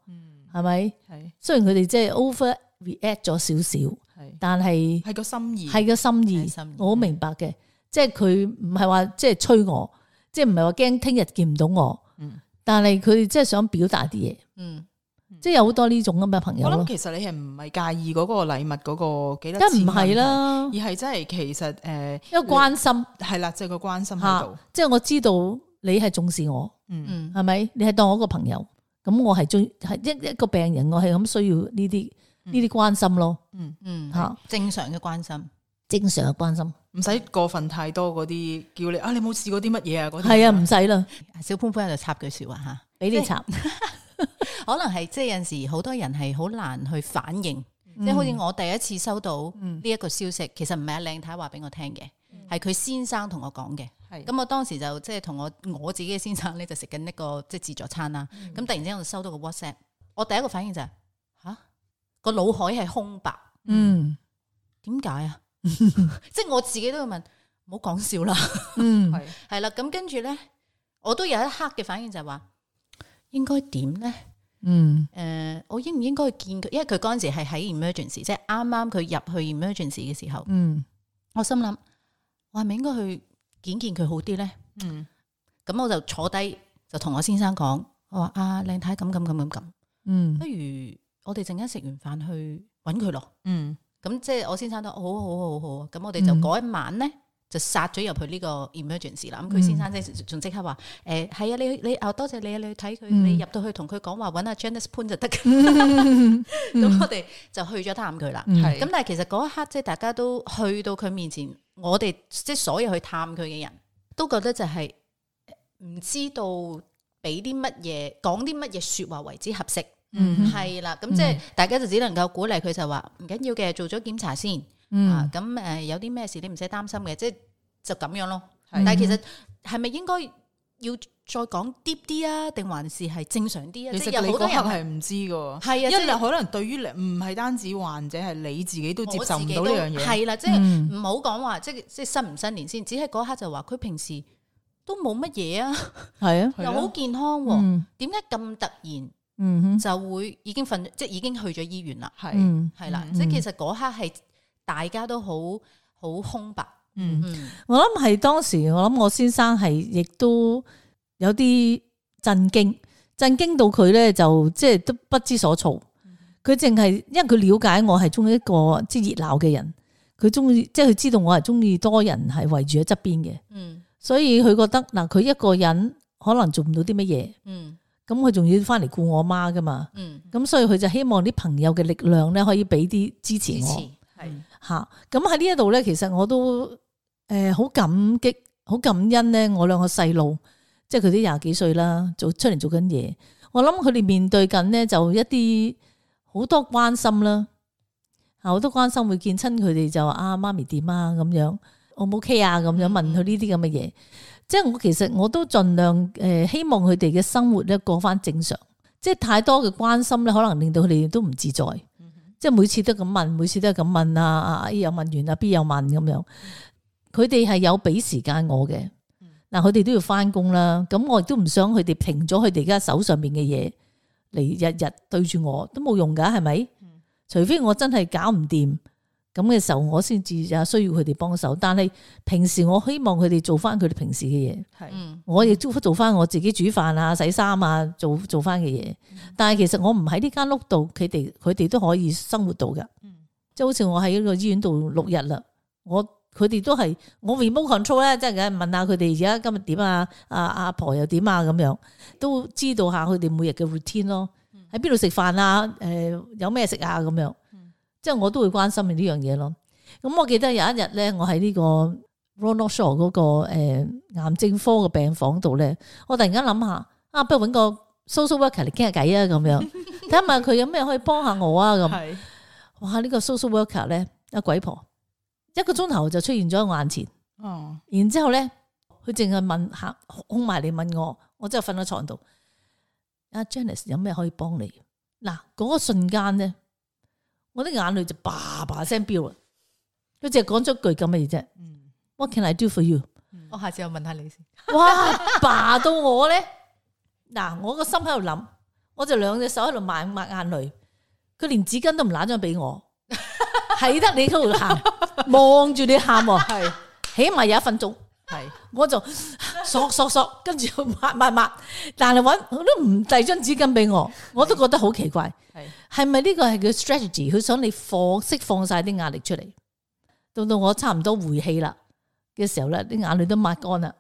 S4: 係咪？係雖然佢哋即係 over react 咗少少，但係係個心意，係個心意，我好明白嘅，即係佢唔係話即係催我。即係唔係話驚聽日見唔到我，嗯、但係佢哋即係想表達啲嘢，嗯嗯、即係有好多呢種咁嘅朋友咯。我諗其實你係唔係介意嗰個禮物嗰個幾多錢？梗唔係啦，而係真係其實誒，呃、一個關心係啦，即係個關心喺度。即係我知道你係重視我，嗯，係咪？你係當我一個朋友，咁我係最係一一個病人，我係咁需要呢啲呢啲關心咯，嗯嗯，吓正常嘅關心。正常嘅關心，唔使過分太多嗰啲叫你啊，你冇試過啲乜嘢啊？嗰啲係啊，唔使啦。小潘潘喺度插句說話吓，俾你插，可能係即係有陣時好多人係好難去反應，嗯、即係好似我第一次收到呢一個消息，嗯、其實唔係阿靚太話俾我聽嘅，係佢、嗯、先生同我講嘅。咁、嗯、我當時就即係同我我自己嘅先生咧就食緊一個即係自助餐啦。咁、嗯、突然之間我就收到個 WhatsApp，我第一個反應就係吓個腦海係空白，嗯，點解啊？即係我自己都要問，唔好講笑啦。嗯，係係啦。咁跟住咧，我都有一刻嘅反應就係話，應該點咧？嗯，誒、呃，我應唔應該見佢？因為佢嗰陣時係喺 emergency，即係啱啱佢入去 emergency 嘅時候。嗯，我心諗，我係咪應該去見見佢好啲咧？嗯，咁我就坐低就同我先生講，我話啊，靚太咁咁咁咁咁，嗯，不如我哋陣間食完飯去搵佢咯。嗯。咁即係我先生都好好好好啊！咁我哋就嗰一晚咧就殺咗入去呢個 emergency 啦。咁佢先生即係仲即刻話誒係啊，你你啊多謝你啊，你去睇佢，你入到去同佢講話揾阿 Janice 潘就得㗎。咁我哋就去咗探佢啦。咁但係其實嗰一刻即係大家都去到佢面前，我哋即係所有去探佢嘅人都覺得就係唔知道俾啲乜嘢講啲乜嘢說話為之合適。嗯，係啦，咁即係大家就只能夠鼓勵佢就話唔緊要嘅，做咗檢查先，嗯、啊，咁誒有啲咩事你唔使擔心嘅，即係就咁樣咯。嗯、但係其實係咪應該要再講 deep 啲啊，定還是係正常啲啊？其實有好多人係唔知噶，係啊，因為可能對於你唔係單止患者，係你自己都接受唔到呢樣嘢。係啦，即係唔好講話，即係即係新唔新年先，只係嗰刻就話佢平時都冇乜嘢啊，係啊，又好健康，點解咁突然？嗯哼，就會已經瞓，即係已經去咗醫院啦。係係啦，即係其實嗰刻係大家都好好空白。嗯，嗯我諗係當時，我諗我先生係亦都有啲震驚，震驚到佢咧就即係都不知所措。佢淨係因為佢了解我係中意一個即係熱鬧嘅人，佢中意即係佢知道我係中意多人係圍住喺側邊嘅。嗯，所以佢覺得嗱，佢一個人可能做唔到啲乜嘢。嗯。咁佢仲要翻嚟顧我媽噶嘛？嗯，咁所以佢就希望啲朋友嘅力量咧，可以俾啲支持我。係吓，咁喺呢一度咧，其實我都誒好感激、好感恩咧。我兩個細路，即係佢啲廿幾歲啦，做出嚟做緊嘢。我諗佢哋面對緊咧，就一啲好多關心啦，好多關心會見親佢哋就話啊媽咪點啊咁樣，我冇 OK 啊咁樣問佢呢啲咁嘅嘢。即係我其實我都盡量誒希望佢哋嘅生活咧過翻正常，即係太多嘅關心咧，可能令到佢哋都唔自在。嗯、哼即係每次都咁問，每次都係咁問啊，啊 A 又問完啊 B 又問咁樣，佢哋係有俾時間我嘅。嗱、嗯，佢哋都要翻工啦，咁我亦都唔想佢哋停咗佢哋而家手上邊嘅嘢嚟日日對住我，都冇用噶，係咪？嗯、除非我真係搞唔掂。咁嘅時候，我先至有需要佢哋幫手。但係平時我希望佢哋做翻佢哋平時嘅嘢，係是我亦都做翻我自己煮飯啊、洗衫啊、做做翻嘅嘢。嗯、但係其實我唔喺呢間屋度，佢哋佢哋都可以生活到噶。嗯、即係好似我喺呢個醫院度六日啦，我佢哋都係我 remote control 咧，即係梗係問下佢哋而家今日點啊，阿阿婆又點啊咁樣，都知道下佢哋每日嘅 routine 咯，喺邊度食飯啊，誒、呃、有咩食啊咁樣，即係我都會關心呢樣嘢咯。咁我記得有一日咧，我喺呢個 Ronald Shaw 嗰個誒癌症科嘅病房度咧，我突然間諗下啊，不如搵個 social worker 嚟傾下偈啊咁樣，睇下問佢有咩可以幫下我啊咁。哇！呢個 social worker 咧，阿鬼婆一個鐘頭就出現咗喺我眼前。哦，然之後咧，佢淨係問下，空埋嚟問我，我真係瞓喺床度。阿 Janice 有咩可以幫你？嗱，嗰個瞬間咧，我啲眼淚就叭叭聲飆啦。佢淨係講咗句咁嘅嘢啫。What can I do for you？
S1: 我下次又問下你先。
S4: 哇！叭到我咧，嗱，我個心喺度諗，我就兩隻手喺度抹抹眼淚。佢連紙巾都唔揦張俾我，係得你喺度喊，望住你喊，係起碼有一分鐘，係我就索索索，跟住抹抹抹，但係搵我都唔遞張紙巾俾我，我都覺得好奇怪，係係咪呢個係佢 strategy？ 佢想你放釋放晒啲壓力出嚟，到到我差唔多回氣啦嘅時候咧，啲眼淚都抹乾啦，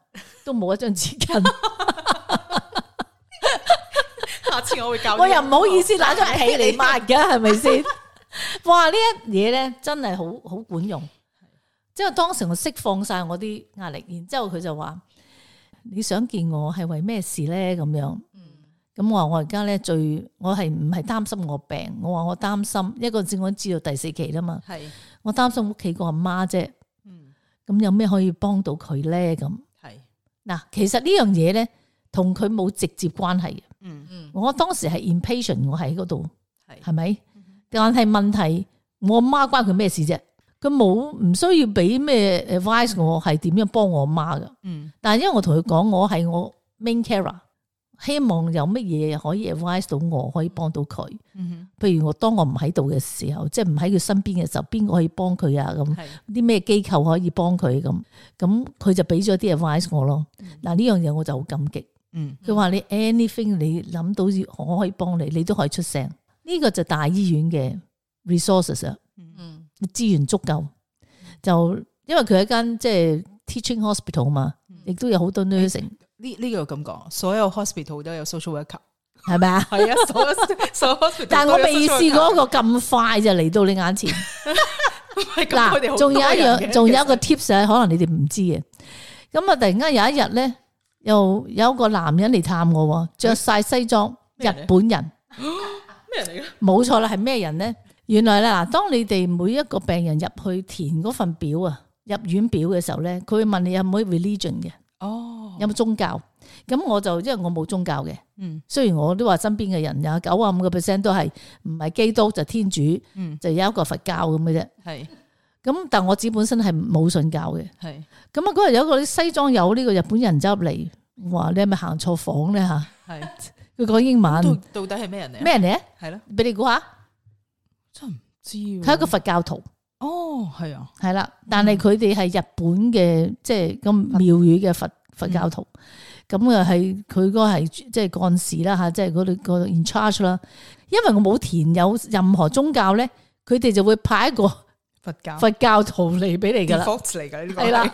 S4: 都冇一張紙巾。
S1: 下次我會教你，
S4: 我又唔好意思拿張被嚟抹嘅，係咪先？哇！呢一嘢咧真係好好管用，即係當時我釋放晒我啲壓力，然之後佢就話：你想見我係為咩事咧？咁樣，咁我話我而家咧最，我係唔係擔心我病？我話我擔心一個字，我知道第四期啦嘛，係我擔心屋企個阿媽啫。咁有咩可以幫到佢咧？咁係嗱，其實呢樣嘢咧同佢冇直接關係嘅。嗯嗯，我當時係 impatient， 我喺嗰度，係係咪？但係問題，我阿媽關佢咩事啫？佢冇唔需要俾咩 advice 我係點樣幫我阿媽噶。嗯，但係因為我同佢講，我係我 main carer， 希望有乜嘢可以 advice 到我，可以幫到佢。嗯，譬如我當我唔喺度嘅時候，即係唔喺佢身邊嘅時候，邊個可以幫佢啊？咁啲咩機構可以幫佢咁？咁佢就俾咗啲 advice 我咯。嗱，呢樣嘢我就好感激。嗯，佢話你 anything 你諗到我可以幫你，你都可以出聲。呢、這個就大醫院嘅 resources 啊，嗯，資源足夠。就因為佢係一間即係 teaching hospital 嘛，亦都有好多 nursing。
S1: 呢呢個咁講，所有 hospital 都有 social worker，
S4: 係咪啊？
S1: 係啊，所有所有 hospital。但係
S4: 我未試過一個咁快就嚟到你眼前。嗱，仲有一樣，仲有一個 tips 可能你哋唔知嘅。咁啊，突然間有一日咧。又有一個男人嚟探我，着晒西裝，日本人。咩人嚟嘅？冇錯啦，係咩人咧？原來咧嗱，當你哋每一個病人入去填嗰份表啊，入院表嘅時候咧，佢會問你有冇 religion 嘅，哦，有冇宗教？咁我就因為我冇宗教嘅，嗯，雖然我都話身邊嘅人有九啊五個 percent 都係唔係基督就天主，嗯，就有一個佛教咁嘅啫，係。咁但我自己本身係冇信教嘅，係咁啊！嗰日有一個西裝友呢個日本人走入嚟，話你係咪行錯房咧吓？係佢講英文，
S1: 到底係咩人嚟？
S4: 咩人嚟？係
S1: 咯，
S4: 俾你估下，
S1: 真唔知。佢
S4: 係一個佛教徒。
S1: 哦，係啊，
S4: 係啦，但係佢哋係日本嘅，即係咁廟宇嘅佛佛教徒。咁啊係佢嗰個係即係幹事啦吓，即係嗰度個 in charge 啦。因為我冇填有任何宗教咧，佢哋就會派一個。
S1: 佛教
S4: 佛教徒嚟俾你噶啦，
S1: 嚟噶呢個
S4: 係啦。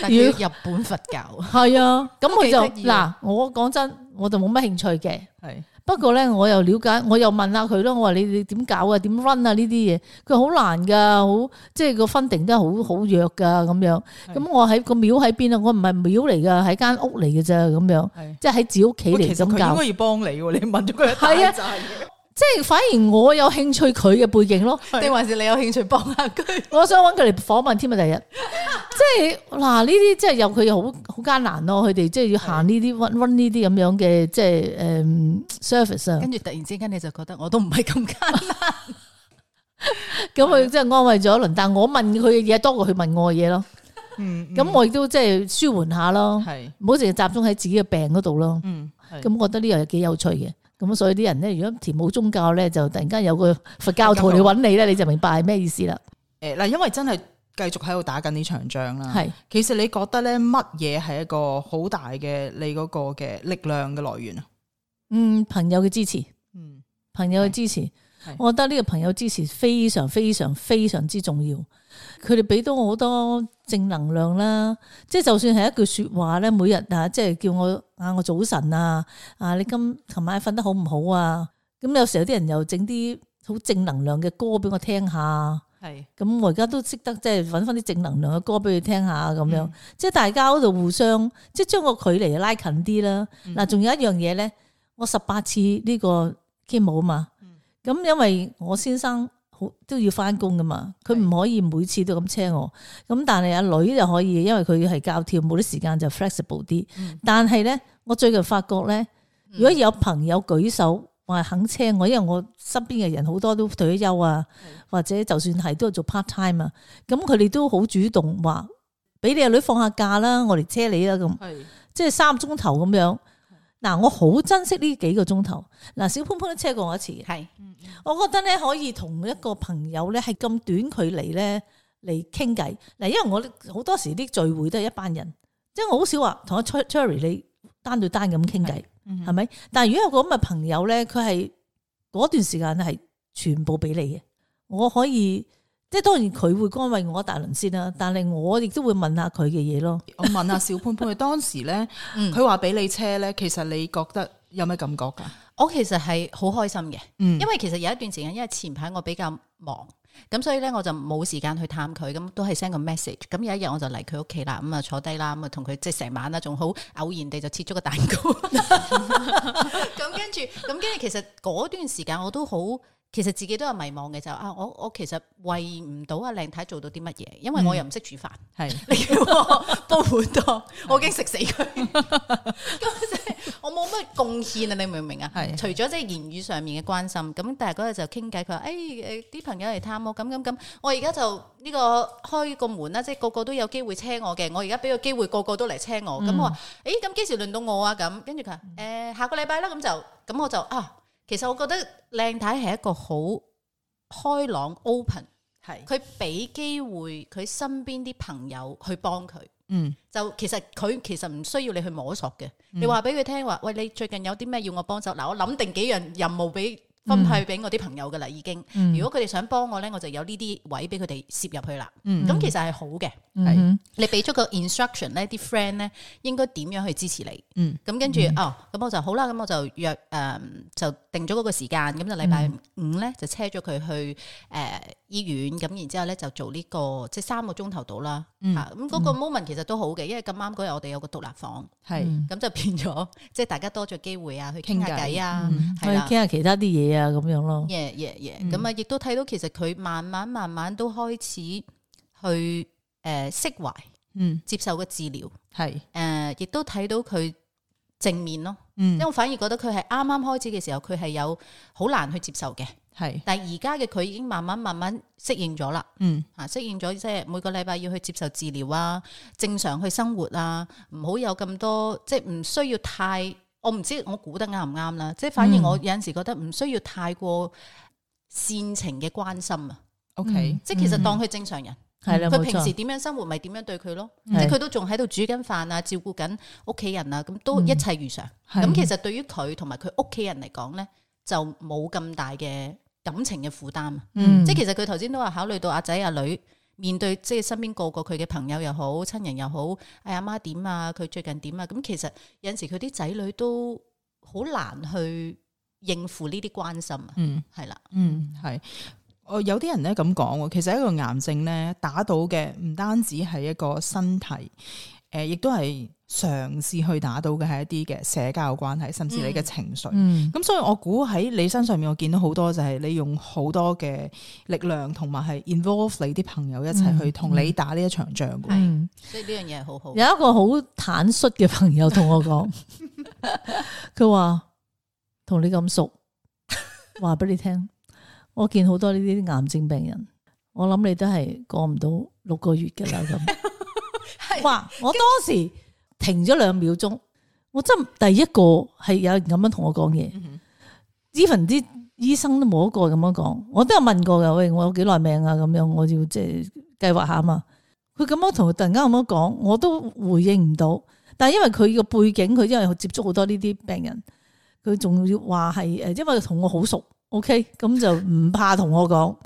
S1: 但係日本佛教
S4: 係啊，咁佢就嗱，我講真，我就冇乜興趣嘅。係不過咧，我又了解，我又問下佢咯。我話你你點搞啊？點 run 啊？呢啲嘢佢好難噶，好即係個 funding都係好好弱噶咁樣。咁我喺個廟喺邊啊？我唔係廟嚟噶，係間屋嚟嘅咋咁樣。即係喺自己屋企嚟咁教。其實佢應該要幫你，你問咗佢一大扎嘢。即係反而我有興趣佢嘅背景咯，
S1: 定還是你有興趣幫下佢？
S4: 我想揾佢嚟訪問添啊！第日，即係嗱呢啲即係有佢好好艱難咯，佢哋即係要行呢啲 run 呢啲咁樣嘅即係誒 service 啊。
S1: 跟住突然之間你就覺得我都唔係咁艱難，
S4: 咁佢即係安慰咗一輪，但係我問佢嘅嘢多過佢問我嘅嘢咯。嗯，咁我亦都即係舒緩下咯，係唔好淨係集中喺自己嘅病嗰度咯。嗯，咁我覺得呢樣係幾有趣嘅。咁所以啲人咧，如果填冇宗教咧，就突然間有個佛教徒嚟揾你咧，你就明白係咩意思啦。誒，嗱，因為真係繼續喺度打緊呢場仗啦。係，其實你覺得咧，乜嘢係一個好大嘅你嗰個嘅力量嘅來源啊？嗯，朋友嘅支持，嗯，朋友嘅支持。我覺得呢個朋友支持非常非常非常之重要。佢哋俾到我好多正能量啦，即係就算係一句說話咧，每日啊，即係叫我啊，我早晨啊，啊你今琴晚瞓得好唔好啊？咁有時候有啲人又整啲好正能量嘅歌俾我聽下，係咁我而家都識得即係搵翻啲正能量嘅歌俾佢聽下咁樣，嗯、即係大家嗰度互相即係將個距離拉近啲啦。嗱、嗯，仲有一樣嘢咧，我十八次呢個 chemo 啊嘛，咁、嗯、因為我先生好都要翻工噶嘛，佢唔可以每次都咁車我，咁但係阿女就可以，因為佢係教跳舞啲時間就 flexible 啲。嗯、但係咧，我最近發覺咧，如果有朋友舉手話肯車我，因為我身邊嘅人好多都退咗休啊，或者就算係都係做 part time 啊，咁佢哋都好主動話俾你阿女放下假啦，我嚟車你啦咁，即係三個鐘頭咁樣。嗱，我好珍惜呢幾個鐘頭。嗱，小潘潘都車過我一次嘅，係，我覺得咧可以同一個朋友咧係咁短距離咧嚟傾偈。嗱，因為我好多時啲聚會都係一班人，即係我好少話同阿 Cherry 你單對單咁傾偈，係咪？但係如果有個咁嘅朋友咧，佢係嗰段時間係全部俾你嘅，我可以。即係當然佢會干慰我一大輪先啦，但係我亦都會問下佢嘅嘢咯。
S1: 我問下小潘潘，佢當時咧，佢話俾你車咧，其實你覺得有咩感覺噶？
S5: 我其實係好開心嘅，嗯、因為其實有一段時間，因為前排我比較忙，咁所以咧我就冇時間去探佢，咁都係 send 個 message。咁有一日我就嚟佢屋企啦，咁啊坐低啦，咁啊同佢即係成晚啦，仲好偶然地就切咗個蛋糕。咁跟住，咁跟住，其實嗰段時間我都好。其實自己都有迷茫嘅，就啊，我我其實為唔到阿靚太做到啲乜嘢，因為我又唔識煮飯，係、嗯、你叫我煲碗湯，我已經食死佢，咁即係我冇乜貢獻啊！你明唔明啊？係除咗即係言語上面嘅關心，咁但係嗰日就傾偈，佢話誒誒啲朋友嚟探我，咁咁咁，我而家就呢個開個門啦，即係個個都有機會車我嘅，我而家俾個機會個個都嚟車我，咁、嗯、我話誒咁幾時輪到我啊？咁跟住佢話誒下個禮拜啦，咁就咁我就啊。其實我覺得靚太係一個好開朗 open， 係佢俾機會佢身邊啲朋友去幫佢，嗯，就其實佢其實唔需要你去摸索嘅，嗯、你話俾佢聽話，喂，你最近有啲咩要我幫手？嗱，我諗定幾樣任務俾分派俾我啲朋友噶啦，已經。嗯、如果佢哋想幫我咧，我就有呢啲位俾佢哋攝入去啦。咁、嗯、其實係好嘅，係、嗯、你俾咗個 instruction 咧，啲 friend 咧應該點樣去支持你。咁、嗯、跟住、嗯、哦，咁我就好啦，咁我就約誒、呃、就定咗嗰個時間，咁就禮拜五咧就車咗佢去誒、呃、醫院，咁然之後咧就做呢、這個即係三個鐘頭到啦。咁嗰、嗯、個 moment 其實都好嘅，因為咁啱嗰日我哋有個獨立房，係咁、嗯、就變咗即係大家多咗機會啊，去傾下偈啊，
S4: 係啦，傾下其他啲嘢啊，咁樣咯。
S5: 耶耶耶，咁啊，亦都睇到其實佢慢慢慢慢都開始去誒釋懷，嗯，接受個治療，係誒，亦都睇到佢正面咯。嗯，因為我反而覺得佢係啱啱開始嘅時候，佢係有好難去接受嘅。係，但係而家嘅佢已經慢慢慢慢適應咗啦，嗯，吓適應咗，即係每個禮拜要去接受治療啊，正常去生活啊，唔好有咁多，即係唔需要太，我唔知我估得啱唔啱啦，即係反而我有陣時覺得唔需要太過煽情嘅關心啊。OK，嗯，即係其實當佢正常人，係啦，佢平時點樣生活咪點樣對佢咯，即係佢都仲喺度煮緊飯啊，照顧緊屋企人啊，咁都一切如常。咁，嗯，其實對於佢同埋佢屋企人嚟講咧，就冇咁大嘅感情嘅負擔，嗯，即係其實佢頭先都話考慮到阿仔阿女面對即係身邊個個佢嘅朋友又好，親人又好，哎阿媽點啊，佢最近點啊，咁其實有陣時佢啲仔女都好難去應付呢啲關心啊，嗯，係啦，嗯，係，我有啲人咧咁講，其實一個癌症咧打到嘅唔單止係一個身體，誒、呃，亦都係嘗試去打到嘅係一啲嘅社交關係，甚至你嘅情緒。咁、嗯嗯、所以我估喺你身上面，我見到好多就係你用好多嘅力量，同埋係 involve 你啲朋友一齊去同你打呢一場仗。係、嗯，所以呢樣嘢係好好。有一個好坦率嘅朋友同我講，佢話同你咁熟，話俾你聽，我見好多呢啲癌症病人，我諗你都係過唔到六個月㗎啦咁。哇！我當時停咗兩秒鐘，我真第一個係有人咁樣同我講嘢，even 啲醫生都冇一個咁樣講，我都有問過噶，喂，我有幾耐命啊？咁樣我要即係計劃下嘛。佢咁樣同突然間咁樣講，我都回應唔到。但係因為佢個背景，佢因為接觸好多呢啲病人，佢仲要話係誒，因為同我好熟，
S4: OK， 咁就唔怕同我講，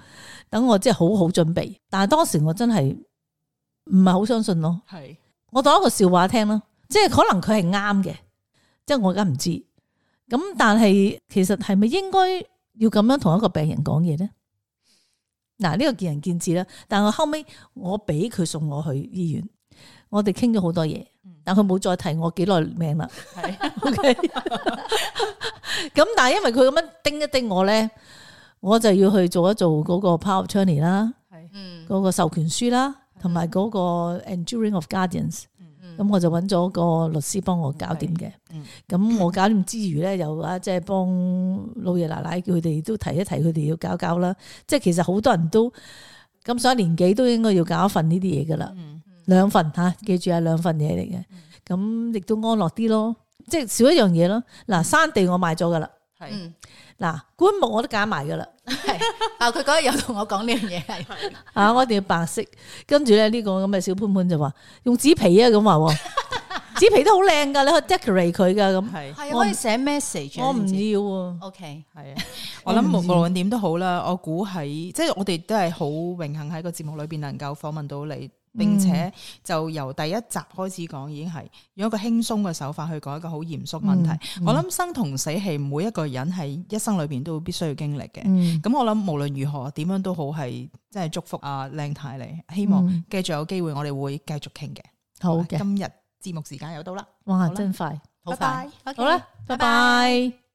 S4: 等我即係好好準備。但係當時我真係唔係好相信咯。係，我當一個笑話聽咯，即係可能佢係啱嘅，即係我而家唔知。咁但係其實係咪應該要咁樣同一個病人講嘢咧？嗱，呢個見仁見智啦。但係我後尾我俾佢送我去醫院，我哋傾咗好多嘢，但佢冇再提我幾耐命啦。係，OK。咁但係因為佢咁樣叮一叮我咧，我就要去做一做嗰個 power of attorney 啦，係，嗯，嗰個授權書啦，同埋嗰個 enduring of guardians。咁我就揾咗個律師幫我搞掂嘅。咁我搞掂之餘咧，又啊即係幫老爺奶奶叫佢哋都提一提，佢哋要搞搞啦。即係其實好多人都咁上年紀都應該要搞一份呢啲嘢噶啦，兩份吓，記住係兩份嘢嚟嘅。咁亦都安樂啲咯，即係少一樣嘢咯。嗱，山地我買咗噶啦，係，嗱，棺木我都揀埋噶啦。
S5: 係啊，佢嗰日有同我講呢樣嘢係
S4: 啊，我一定要白色。跟住咧呢個咁嘅小潘潘就話用紙皮啊，咁話紙皮都好靚噶，你可以 decorate 佢噶咁。係
S5: 係可以寫 message。我
S4: 唔要啊。
S5: OK，
S1: 係啊，我諗無論點都好啦。我估喺即係我哋都係好榮幸喺個節目裏邊能夠訪問到你。並且就由第一集開始講，已經係用一個輕鬆嘅手法去講一個好嚴肅問題。嗯嗯、我諗生同死係每一個人係一生裏邊都必須要經歷嘅。咁、嗯、我諗無論如何點樣都好，係真係祝福阿靚太你。希望繼續有機會，我哋會繼續傾嘅。好嘅，今日節目時間又到啦。
S4: 哇，真快，
S5: 好快，
S4: 好啦，拜拜。